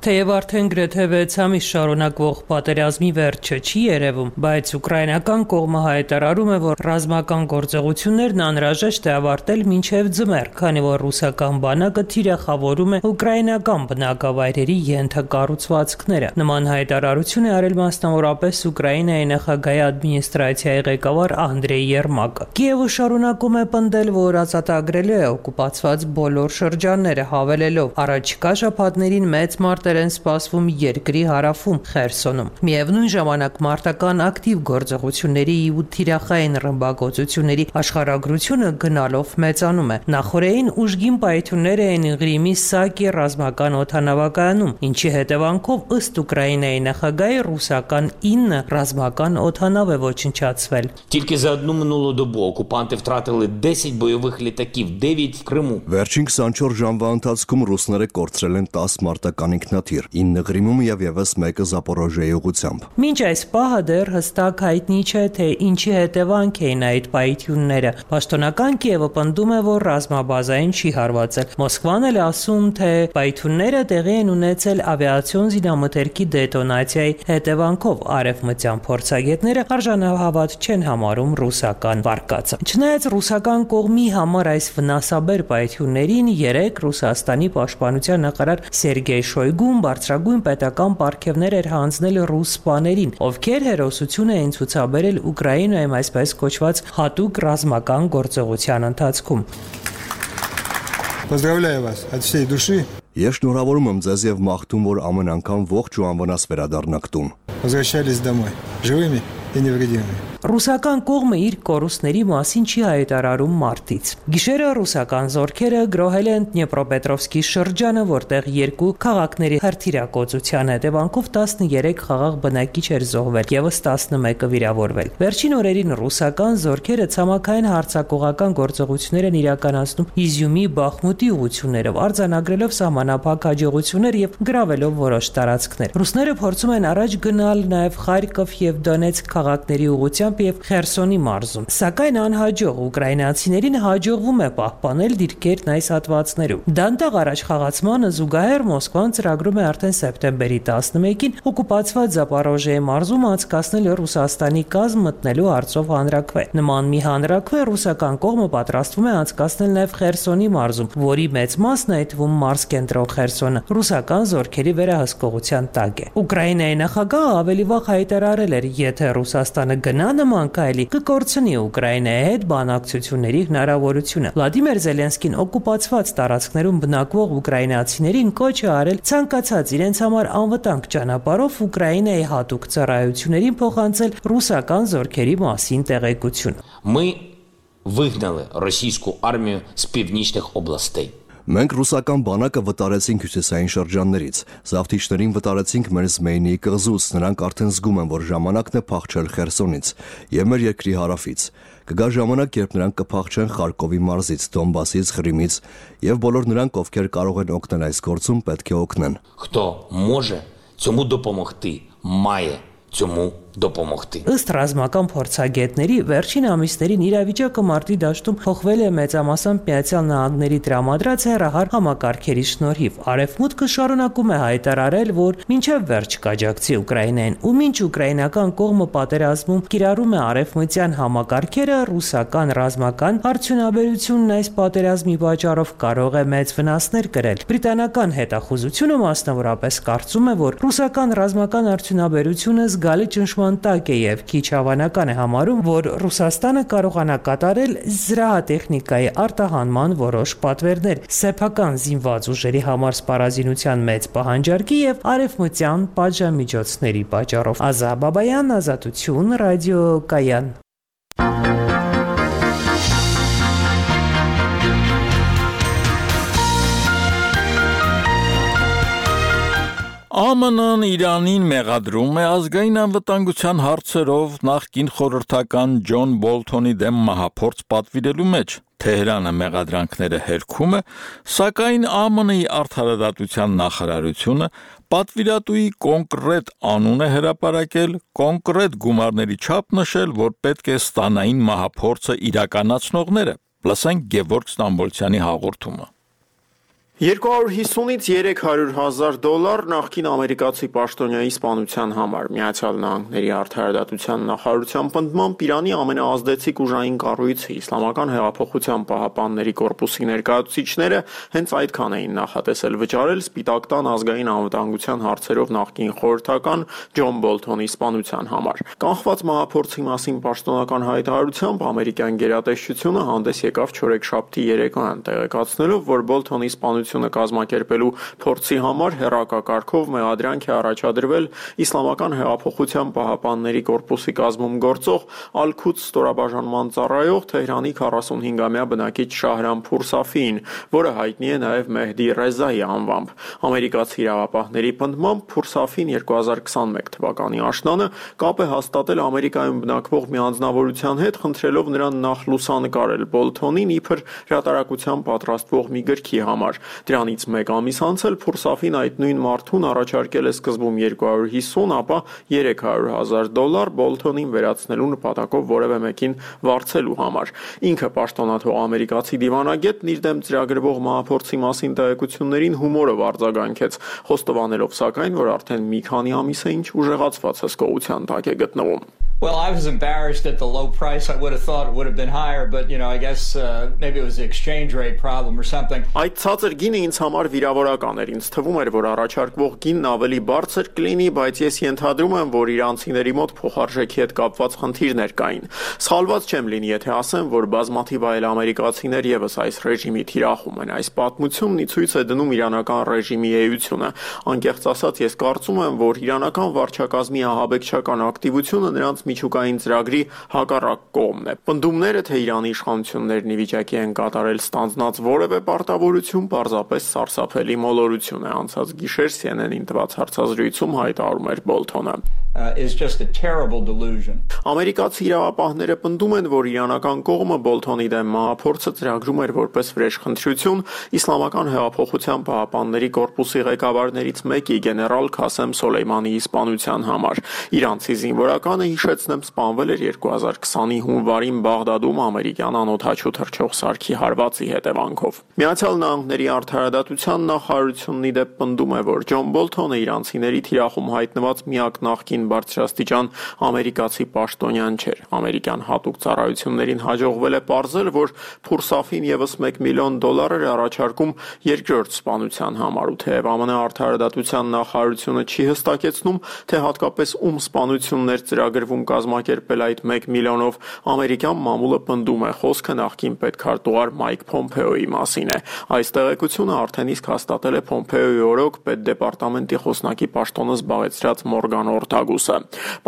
Թեև արդեն գրեթե 6 ամիս շարունակվող պատերազմի վերջը չի երևում, բայց ուկրաինական կողմը հայտարարում է, որ ռազմական գործողություններն անհրաժեշտ է ավարտել մինչև ձմեռ, քանի որ ռուսական բանակը թիրախավորում է ուկրաինական բնակավայրերի ենթակառուցվածքները։ Նման հայտարարություն է արել մասնավորապես Ուկրաինայի նախագահի ադմինիստրացիայի ղեկավար Անդրեյ Երմակը։ Կիևը շարունակում է պնդել, որ ազատագրելու է օկուպացված բոլոր շրջանները, հավելելով առաջիկա շաբաթներին մեծ մարտեր են սպասվում երկրի հարավում Խերսոնում։ Միևնույն ժամանակ մարտական ակտիվ գործողությունների ու թիրախային ռմբակոծությունների աշխարհագրությունը գնալով մեծանում է։ Նախորդին ուժգին պայթյուններ էին Ղրիմի Սակի ռազմական օդանավակայանում, ինչի հետևանքով ըստ Ուկրաինայի նախագահի ռուսական 9 ռազմական օդանավ է ոչնչացվել։ Тільки за одну минулу добу окупанти втратили 10 бойових літаків, 9 в Криму. Վերջին 24 ժամվա ընթացքում ռուսները կորցրել են 10 մարտական ինքնաթիռ, 9 Ղրիմում եւ եւս 1 Զապորոժիայի ուղղությամբ։ Մինչ այս պահը դեռ հստակ հայտնի չէ, թե ինչի հետևանք էին այդ պայթյունները։ Պաշտոնական Կիևը պնդում է, որ ռազմաբազային չի հարվածել։ Մոսկվան էլ ասում, թե պայթյունները տեղի են ունեցել ավիացիոն զինամթերքի դետոնացիայի հետևանքով։ Արևմտյան փորձագետները արժանահավատ չեն համարում ռուսական վարկածը։ Չնայած ռուսական կողմի համար այս վնասաբեր պայթյուններին 3 Ռուսաստանի պաշտպանության նախարար Սերգեյ Շոյգուն բարձրագույն պետական պարգևներ էր հանձնել ռուս սպաներին, ովքեր հերոսություն էին ցուցաբերել Ուկրաինայում այսպես կոչված հատուկ ռազմական գործողության ընթացքում։ Поздравляю вас от всей души. Ես շնորհավորում եմ ձեզ եւ մաղթում, որ ամեն անգամ ողջ ու անվնաս վերադառնաք տուն։ Возвращались домой живыми и невредимыми. Ռուսական կողմը իր կորուստների մասին չի հայտարարում մարտից։ Գիշերը ռուսական զորքերը գրոհել են Դնեպրոպետրովսկի շրջանը, որտեղ 2 քաղաքների հրթիռակոծության հետևանքով 13 խաղաղ բնակիչ էր զոհվել, եւս 11-ը վիրավորվել։ Վերջին օրերին ռուսական զորքերը ցամաքային հարձակողական գործողություններ են իրականացնում Իզյումի Բախմուտի ուղություններով, արձանագրելով սահմանափակ հաջողություններ եւ գրավելով որոշ տարածքներ։ Ռուսները փորձում են առաջ գնալ նաեւ Խարկով եւ Դոնեցկ քաղաքների ուղղությամբ եւ Խերսոնի մարզում։ Սակայն անհաջող ուկրաինացիներին հաջողվում է պահպանել դիրքերն այս հատվածներում։ Դանդաղ առաջխաղացմանը զուգահեռ Մոսկվան ծրագրում է արդեն սեպտեմբերի 11-ին օկուպացված Զապորոժիայի մարզում անցկացնել Ռուսաստանի կազմ մտնելու հարցով հանրաքվե։ Նման մի հանրաքվե ռուսական կողմը պատրաստվում է անցկացնել նաեւ Խերսոնի մարզում, որի մեծ մասն այդ թվում մարզ կենտրոն Խերսոնը ռուսական զորքերի վերահսկողության տակ է։ Ուկրաինայի նախագահը ավելի վաղ հայտարարել էր, եթե Ռուսաստանը գնա նման քայլի, կկորցնի Ուկրաինայի հետ բանակցությունների հնարավորությունը։ Վլադիմիր Զելենսկին օկուպացված տարածքներում բնակվող ուկրաինացիներին կոչ է արել ցանկացած իրենց համար անվտանգ ճանապարհով Ուկրաինայի հատուկ ծառայություններին փոխանցել ռուսական զորքերի մասին տեղեկություն։ Ми вигнали російську армію з північних областей. Մենք ռուսական բանակը վտարեցինք հյուսիսային շրջաններից, զավթիչներին վտարեցինք մեր Զմեյնիի կղզուց, նրանք արդեն զգում են, որ ժամանակն է փախչել Խերսոնից եւ մեր երկրի հարավից։ Կգա ժամանակ, երբ նրանք կփախչեն Խարկովի մարզից, Դոնբասից, Ղրիմից եւ բոլոր նրանք, ովքեր կարող են օգնել այս գործում, պետք է օգնեն։ Хто може цьому допомогти, має цьому допомогти. Ըստ ռազմական փորձագետների, վերջին ամիսներին իրավիճակը մարտի դաշտում փոխվել է մեծամասամբ Միացյալ Նահանգների տրամադրած հեռահար համակարգերի շնորհիվ։ Արևմուտքը շարունակում է հայտարարել, որ մինչև վերջ կաջակցի Ուկրաինային, ու մինչ ուկրաինական կողմը պատերազմում կիրառում է արևմտյան համակարգերը, ռուսական ռազմական արդյունաբերությունն այս պատերազմի պատճառով կարող է մեծ վնասներ կրել։ Բրիտանական հետախուզությունը մասնավորապես կարծում է, որ ռուսական ռազմական արդյունաբերությունը զգալի ճնշման տակ է եւ քիչ հավանական է համարում, որ Ռուսաստանը կարողանա կատարել զրահատեխնիկայի արտահանման որոշ պատվերներ, սեփական զինված ուժերի համար սպառազինության մեծ պահանջարկի եւ արևմտյան պատժամիջոցների պատճառով։ Ազա Բաբայան, Ազատություն, ռադիոկայան։ ԱՄՆ-ն Իրանին մեղադրում է ազգային անվտանգության հարցերով նախկին խորհրդական Ջոն Բոլթոնի դեմ մահափորձ պատվիրելու մեջ։ Թեհրանը մեղադրանքները հերքում է, սակայն ԱՄՆ-ի արդարադատության նախարարությունը պատվիրատուի կոնկրետ անուն է հրապարակել, կոնկրետ գումարների չափ նշել, որ պետք է ստանային մահափորձը իրականացնողները։ Լսենք Գևորգ Ստամբոլցյանի հաղորդումը։ 250-ից 300,000 դոլար նախկին ամերիկացի պաշտոնյայի սպանության համար։ Միացյալ Նահանգների արդարադատության նախարարության պնդմամբ Իրանի ամենաազդեցիկ ուժային կառույցը Իսլամական հեղափոխության պահապանների կորպուսի ներկայացուցիչները հենց այդքան էին նախատեսել վճարել Սպիտակ տան ազգային անվտանգության հարցերով նախկին խորհրդական Ջոն Բոլթոնի սպանության համար։ Կանխված մահափորձի մասին պաշտոնական հայտարարությամբ ամերիկյան գերատեսչությունը հանդես եկավ չորեքշաբթի երեկոյան տեղեկացնելով, որ Բոլթոնի սպանությունը կազմակերպելու փորձի համար հեռակակարգով մեղադրանք է առաջադրվել Իսլամական հեղափոխության պահապանների կորպուսի կազմում գործող Ալ-Քուդս ստորաբաժանման ծառայող Թեհրանի 45-ամյա բնակիչ Շահրամփուր Սաֆիին, որը հայտնի է նաև Մեհդի Ռեզայի անվամբ։ Ամերիկացի իրավապահների պնդմամբ Փուրսաֆին 2021 թվականի աշնանը կապ է հաստատել Ամերիկայում բնակվող մի անձնավորության հետ, խնդրելով նրան նախ լուսանկարել Բոլթոնին իբր հրատարակության պատրաստվող մի գրքի համար։ Դրանից մեկ ամիս անց էլ Փուրսաֆին այդ նույն մարդուն առաջարկել է սկզբում 250, ապա 300,000 դոլար Բոլթոնին վերացնելու նպատակով որևէ մեկին վարձելու համար։ Ինքը պաշտոնաթող ամերիկացի դիվանագետն իր դեմ ծրագրվող մահափորձի մասին տեղեկություններին հումորով արձագանքեց, խոստովանելով սակայն, որ արդեն մի քանի ամիս է ինչ ուժեղացված հսկողության տակ է գտնվում։ Well, I was embarrassed at the low price. I would have thought it would have been higher, but I guess maybe it was the exchange rate problem or something. Այդ ցածր գինը ինձ համար վիրավորական էր։ Ինձ թվում էր, որ առաջարկվող գինն ավելի բարձր կլինի, բայց ես ենթադրում եմ, որ իրանցիների մոտ փոխարժեքի հետ կապված խնդիրներ կային։ Սխալված չեմ լինի, եթե ասեմ, որ բազմաթիվ այլ ամերիկացիներ եւս այս ռեժիմի թիրախում են։ Այս պատմությունն ի ցույց է դնում իրանական ռեժիմի էությունը։ Անկեղծ ասած, ես կարծում եմ, որ իրանական վարչակազմի ահաբեկչական ակտիվությունը նրանց միջուկային ծրագրի հակառակ կողմն է։ Պնդումները, թե Իրանի իշխանություններն ի վիճակի են կատարել ստանձնած որևէ պարտավորություն, պարզապես սարսափելի մոլորություն է։ Անցած գիշեր CNN-ին տված հարցազրույցում հայտարարում էր Բոլթոնը։ Is just a terrible delusion. Ամերիկացի իրավապահները պնդում են, որ իրանական կողմը Բոլթոնի դեմ մահափորձը ծրագրում էր որպես վրեժխնդրություն Իսլամական հեղափոխության պահապանների կորպուսի ղեկավարներից մեկի գեներալ Քասեմ Սոլեյմանիի սպանության համար։ Իրանցի զինվորականը, հիշեցնեմ, սպանվել էր 2020-ի հունվարին Բաղդադում ամերիկյան անօդաչու թռչող սարքի հարվածի հետևանքով։ Միացյալ Նահանգների արդարադատության նախարարությունն ի դեպ պնդում է, որ Ջոն Բոլթոնը իրանցիների թիրախում հայտնված միակ նախկին բարձրաստիճան ամերիկացի պաշտոնյան չէր։ Ամերիկյան հատուկ ծառայություններին հաջողվել է պարզել, որ Փուրսաֆին եւս $1 միլիոն էր առաջարկում երկրորդ սպանության համար, ու թեև ԱՄՆ արդարադատության նախարարությունը չի հստակեցնում, թե հատկապես ում սպանություններ ծրագրվում կազմակերպել այդ 1 միլիոնով, ամերիկյան մամուլը պնդում է, խոսքը նախկին պետքարտուղար Մայք Փոմփեոյի մասին է։ Այս տեղեկությունը արդեն իսկ հաստատել է Փոմփեոյի օրոք պետդեպարտամենտի խոսնակի պաշտոնը զբաղեցրած Մորգան Օրտագու ռուսը։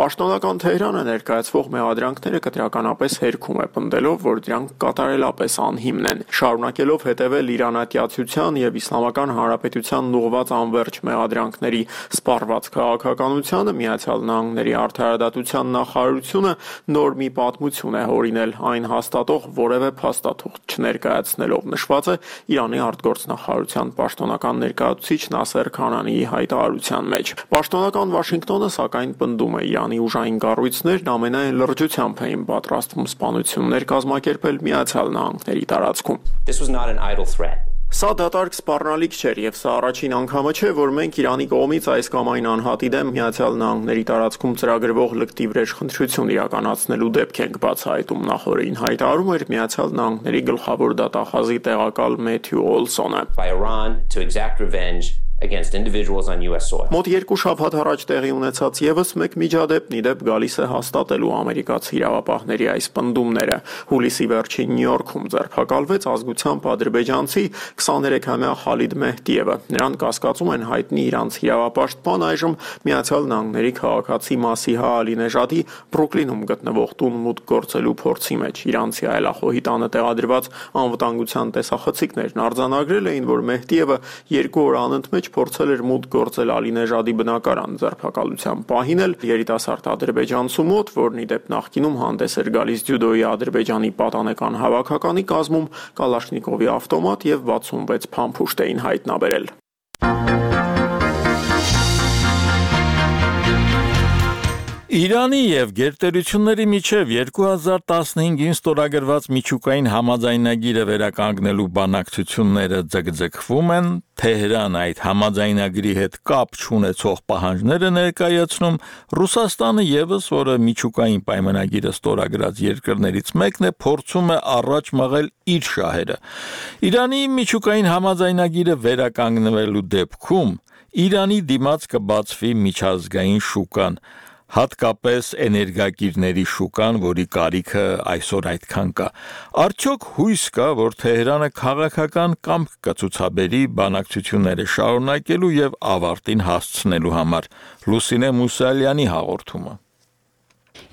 Պաշտոնական Թեհրանը ներկայացվող մեղադրանքները կտրականապես հերքում է, պնդելով, որ դրանք կատարելապես անհիմն են։ Շարունակելով հետևել իրանատյացության եւ Իսլամական Հանրապետությանն ուղղված անվերջ մեղադրանքների սպառված քաղաքականությանը Միացյալ Նահանգների արդարադատության նախարարությունը նոր մի պատմություն է հորինել, այն հաստատող որևէ փաստաթուղթ չներկայացնելով, նշված է Իրանի արտգործնախարարության պաշտոնական ներկայացուցիչ Նասեր Քանանիի հայտարարության մեջ։ Պաշտոնական Վաշինգտոնը սակայն պնդում է Իրանի ուժային կառույցներն ամենայն լրջությամբ էին պատրաստվում սպանություններ կազմակերպել Միացյալ Նահանգների տարածքում։ This was not an idle threat. Սա դատարկ սպառնալիք չէր եւ սա առաջին անգամը չէ, որ մենք Իրանի կողմից այս կամ այն անհատի դեմ Միացյալ Նահանգների տարածքում ծրագրվող լկտի վրեժ խնդրություն իրականացնելու դեպք ենք բացահայտում, նախորդին հայտարարում էր Միացյալ Նահանգների գլխավոր դատախազի տեղակալ Մեթյու Օլսոնը։ By Iran to exact revenge against individuals on US soil. Մոտ 2 շաբաթ առաջ տեղի ունեցած եւս մեկ միջադեպ նիդեպ գալիս է հաստատելու ամերիկացի իրավապահների այս պնդումները։ Հուլիսի վերջին Նյու Յորքում ձերբակալվեց ազգությամբ ադրբեջանցի 23-ամյա Խալիդ Մեհդիևը։ Նրան կասկածում են հայտնի իրանցի իրավապաշտպան, այժմ Միացյալ Նահանգների քաղաքացի Մասիհա Ալինեժադի Բրուկլինում գտնվող տուն մուտք գործելու փորձի մեջ։ Իրանցի այլախոհի տանը տեղադրված անվտանգության տեսախցիկներն արձանագրել էին, որ Մեհդիևը 2 օր անընդմեջ փորձել էր մուտք գործել Ալինեժադի բնակարան ձերբակալության պահին էլ երիտասարդ ադրբեջանցու մոտ, որն ի դեպ նախկինում հանդես էր գալիս ձյուդոյի Ադրբեջանի պատանեկան հավաքականի կազմում Կալաշնիկովի ավտոմատ եւ 66 փամփուշտ էին հայտնաբերել։ Իրանի եւ գերտերությունների միջև 2015-ին ստորագրված միջուկային համաձայնագիրը վերականգնելու բանակցությունները ձգձգվում են, Թեհրան այդ համաձայնագրի հետ կապ չունեցող պահանջները ներկայացնում, Ռուսաստանը եւս, որը միջուկային պայմանագիրը ստորագրած երկրներից մեկն է, փորձում է առաջ մղել իր շահերը։ Իրանի միջուկային համաձայնագիրը վերականգնվելու դեպքում Իրանի դիմաց կբացվի միջազգային շուկան, հատկապես էներգակիրների շուկան, որի կարիքը այսօր այդքան կա։ Արդյոք հույս կա, որ Թեհրանը քաղաքական կամք կցուցաբերի բանակցությունները շարունակելու եւ ավարտին հասցնելու համար։ Լուսինե Մուսալյանի հաղորդումը։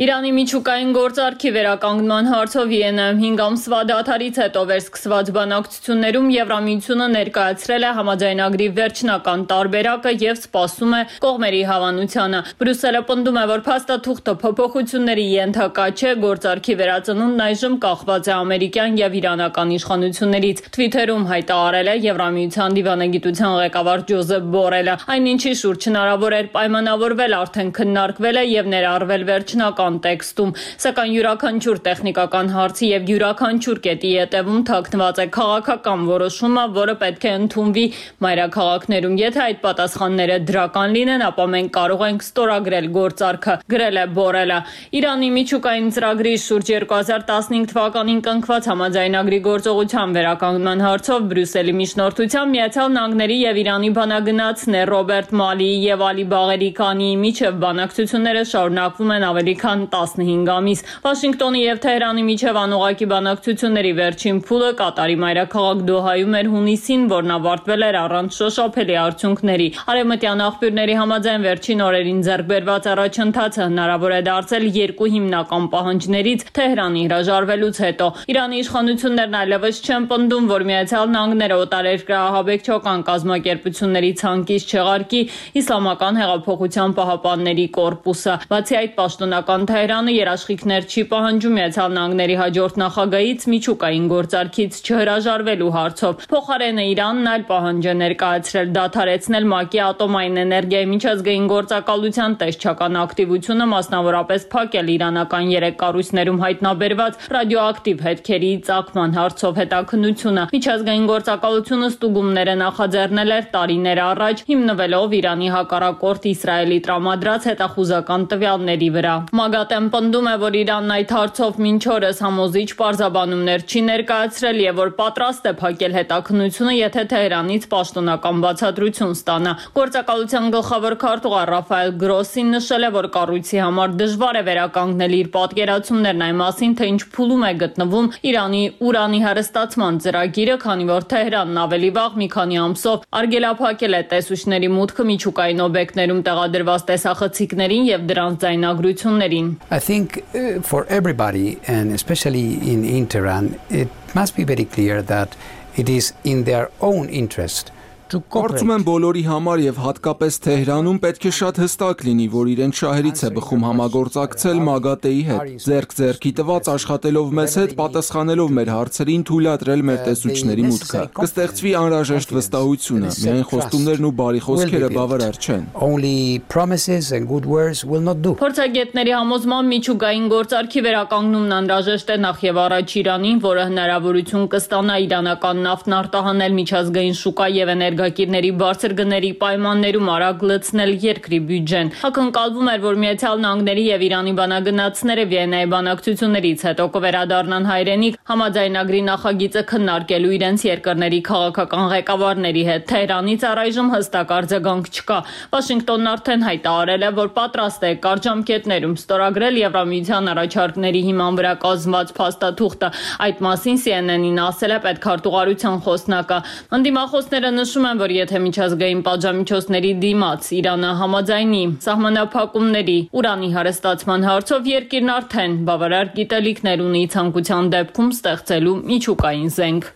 Իրանի միջուկային գործարքի վերականգնման հարցով Վիեննայում 5 ամսվա դադարից հետո վերսկսված բանակցություններում Եվրամիությունը ներկայացրել է համաձայնագրի վերջնական տարբերակը եւ սպասում է կողմերի հավանությանը։ Բրյուսելը պնդում է, որ փաստաթուղթը փոփոխությունների ենթակա չէ, գործարքի վերածնունդն այժմ կախված է ամերիկյան եւ իրանական իշխանություններից։ Թվիթերում հայտարարել է Եվրամիության դիվանագիտության ղեկավար Ջոզեփ Բորելը։ Այնինչի շուրջ հնարավոր էր պայմանավորվել, արդեն քննարկվել է եւ ներառվել վերջնական տեքստում, սակայն յուրաքանչյուր տեխնիկական հարցի եւ յուրաքանչյուր կետի ետևում թաքնված է քաղաքական որոշումը, որը պետք է ընդունվի մայրաքաղաքներում։ Եթե այդ պատասխանները դրական լինեն, ապա մենք կարող ենք ստորագրել գործարքը, գրել է Բորելը։ Իրանի միջուկային ծրագրի շուրջ 2015 թվականին կնքված համաձայնագրի գործողության վերականգնման հարցով Բրյուսելի միջնորդությամբ Միացյալ Նահանգների եւ Իրանի բանագնացներ Ռոբերտ Մալիի եւ Ալի Բաղերի Քանիի միջև բանակցությունները շարունակվում են ավելի քան 15 ամիս։ Վաշինգտոնի եւ Թեհրանի միջև անուղղակի բանակցությունների վերջին փուլը Կատարի մայրաքաղաք Դոհայում էր հունիսին, որն ավարտվել էր առանց շոշափելի արդյունքների։ Արևմտյան աղբյուրների համաձայն վերջին օրերին ձեռք բերված առաջընթացը հնարավոր է դարձել 2 հիմնական պահանջներից Թեհրանի հրաժարվելուց հետո։ Իրանի իշխանություններն այլևս չեն պնդում, որ Միացյալ Նահանգները օտարերկրահաբեկչական կազմակերպությունների ցանկից չեղարկի Իսլամական հեղափոխության պահապանների կորպուսը։ Բացի այդ, պաշտոնական Թեհրանը երաշխիքներ չի պահանջում Միացյալ Նահանգների հաջորդ նախագահից միջուկային գործարքից չհրաժարվելու հարցով։ Փոխարենը Իրանն այլ պահանջ է ներկայացրել դադարեցնել ՄԱԿ-ի ատոմային էներգիայի միջազգային գործակալության տեսչական ակտիվությունը, մասնավորապես փակել իրանական 3 կառույցներում հայտնաբերված ռադիոակտիվ հետքերի ծագման հարցով հետաքննությունը։ Միջազգային գործակալությունը ստուգումները նախաձեռնել էր տարիներ առաջ, հիմնվելով Իրանի հակառակորդ Իսրայելի տրամադրած հետախուզական տվյալների վրա։ ՄԱԳ ՄԱԳԱՏ-ն պնդում է, որ Իրանն այդ հարցով մինչ օրս համոզիչ պարզաբանումներ չի ներկայացրել եւ որ պատրաստ է փակել հետաքննությունը, եթե Թեհրանից պաշտոնական բացատրություն ստանա։ Գործակալության գլխավոր քարտուղար Ռաֆայել Գրոսին նշել է, որ կառույցի համար դժվար է վերականգնել իր պատկերացումներն այն մասին, թե ինչ փուլում է գտնվում Իրանի ուրանի հեռուստացման ծրագիրը, քանի որ Թեհրանն ավելի վաղ մի քանի ամսով արգելափակել է տեսուչների մուտքը միջուկային օբյեկտներում տեղադրված տեսախցիկներին եւ դրանց ձայնագրություններին։ I think for everybody and especially in Tehran it must be very clear that it is in their own interest. Կարծում եմ բոլորի համար եւ հատկապես Թեհրանում պետք է շատ հստակ լինի, որ իրենց շահերից է բխում համագործակցել ՄԱԳԱՏ-ի հետ, ձեռք-ձեռքի տված աշխատելով մեզ հետ, պատասխանելով մեր հարցերին, թույլատրել մեր տեսուչների մուտքը։ Կստեղծվի անհրաժեշտ վստահությունը, միայն խոստումներն ու բարի խոսքերը բավարար չեն։ Only promises and good words will not do. Փորձագետների համոզմամբ միջուկային գործարքի վերականգնումն անհրաժեշտ է նախ եւ առաջ Իրանին, որը հնարավորություն կստանա իրանական նավթն արտահանել միջազգային շուկա եւ էներգակիրների բարձր գների պայմաններում արագ լցնել երկրի բյուջեն։ Ակնկալվում էր, որ Միացյալ Նահանգների եւ Իրանի բանագնացները Վիեննայի բանակցություններից հետո կվերադառնան հայրենիք համաձայնագրի նախագիծը քննարկելու իրենց երկրների քաղաքական ղեկավարների հետ։ Թեհրանից առայժմ հստակ արձագանք չկա։ Վաշինգտոնն արդեն հայտարարել է, որ պատրաստ է կարճամկետներում ստորագրել Եվրամիության առաջարկների հիման վրա կազմված փաստաթուղթը։ Այդ մասին CNN-ին ասել է պետքարտուղարության խոսնակը։ Ընդդիմախոսները նշում են, որ եթե միջազգային պատժամիջոցների դիմաց Իրանը համաձայնի սահմանափակումների ուրանի հարստացման հարցով, երկիրն արդեն բավարար գիտելիքներ ունի ցանկության դեպքում ստեղծելու միջուկային զենք։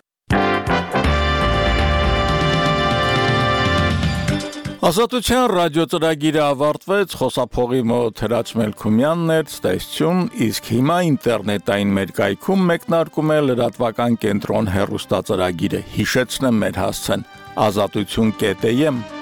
Ազատության ռադիոծրագիրը ավարտվեց, խոսափողի մոտ Հրաչ Մելքումյանն էր, ստեսություն, իսկ հիմա ինտերնետային մեր կայքում մեկնարկում է լրատվական կենտրոն հեռուստածրագիրը։ Հիշեցնեմ մեր հասցեն azatutun.am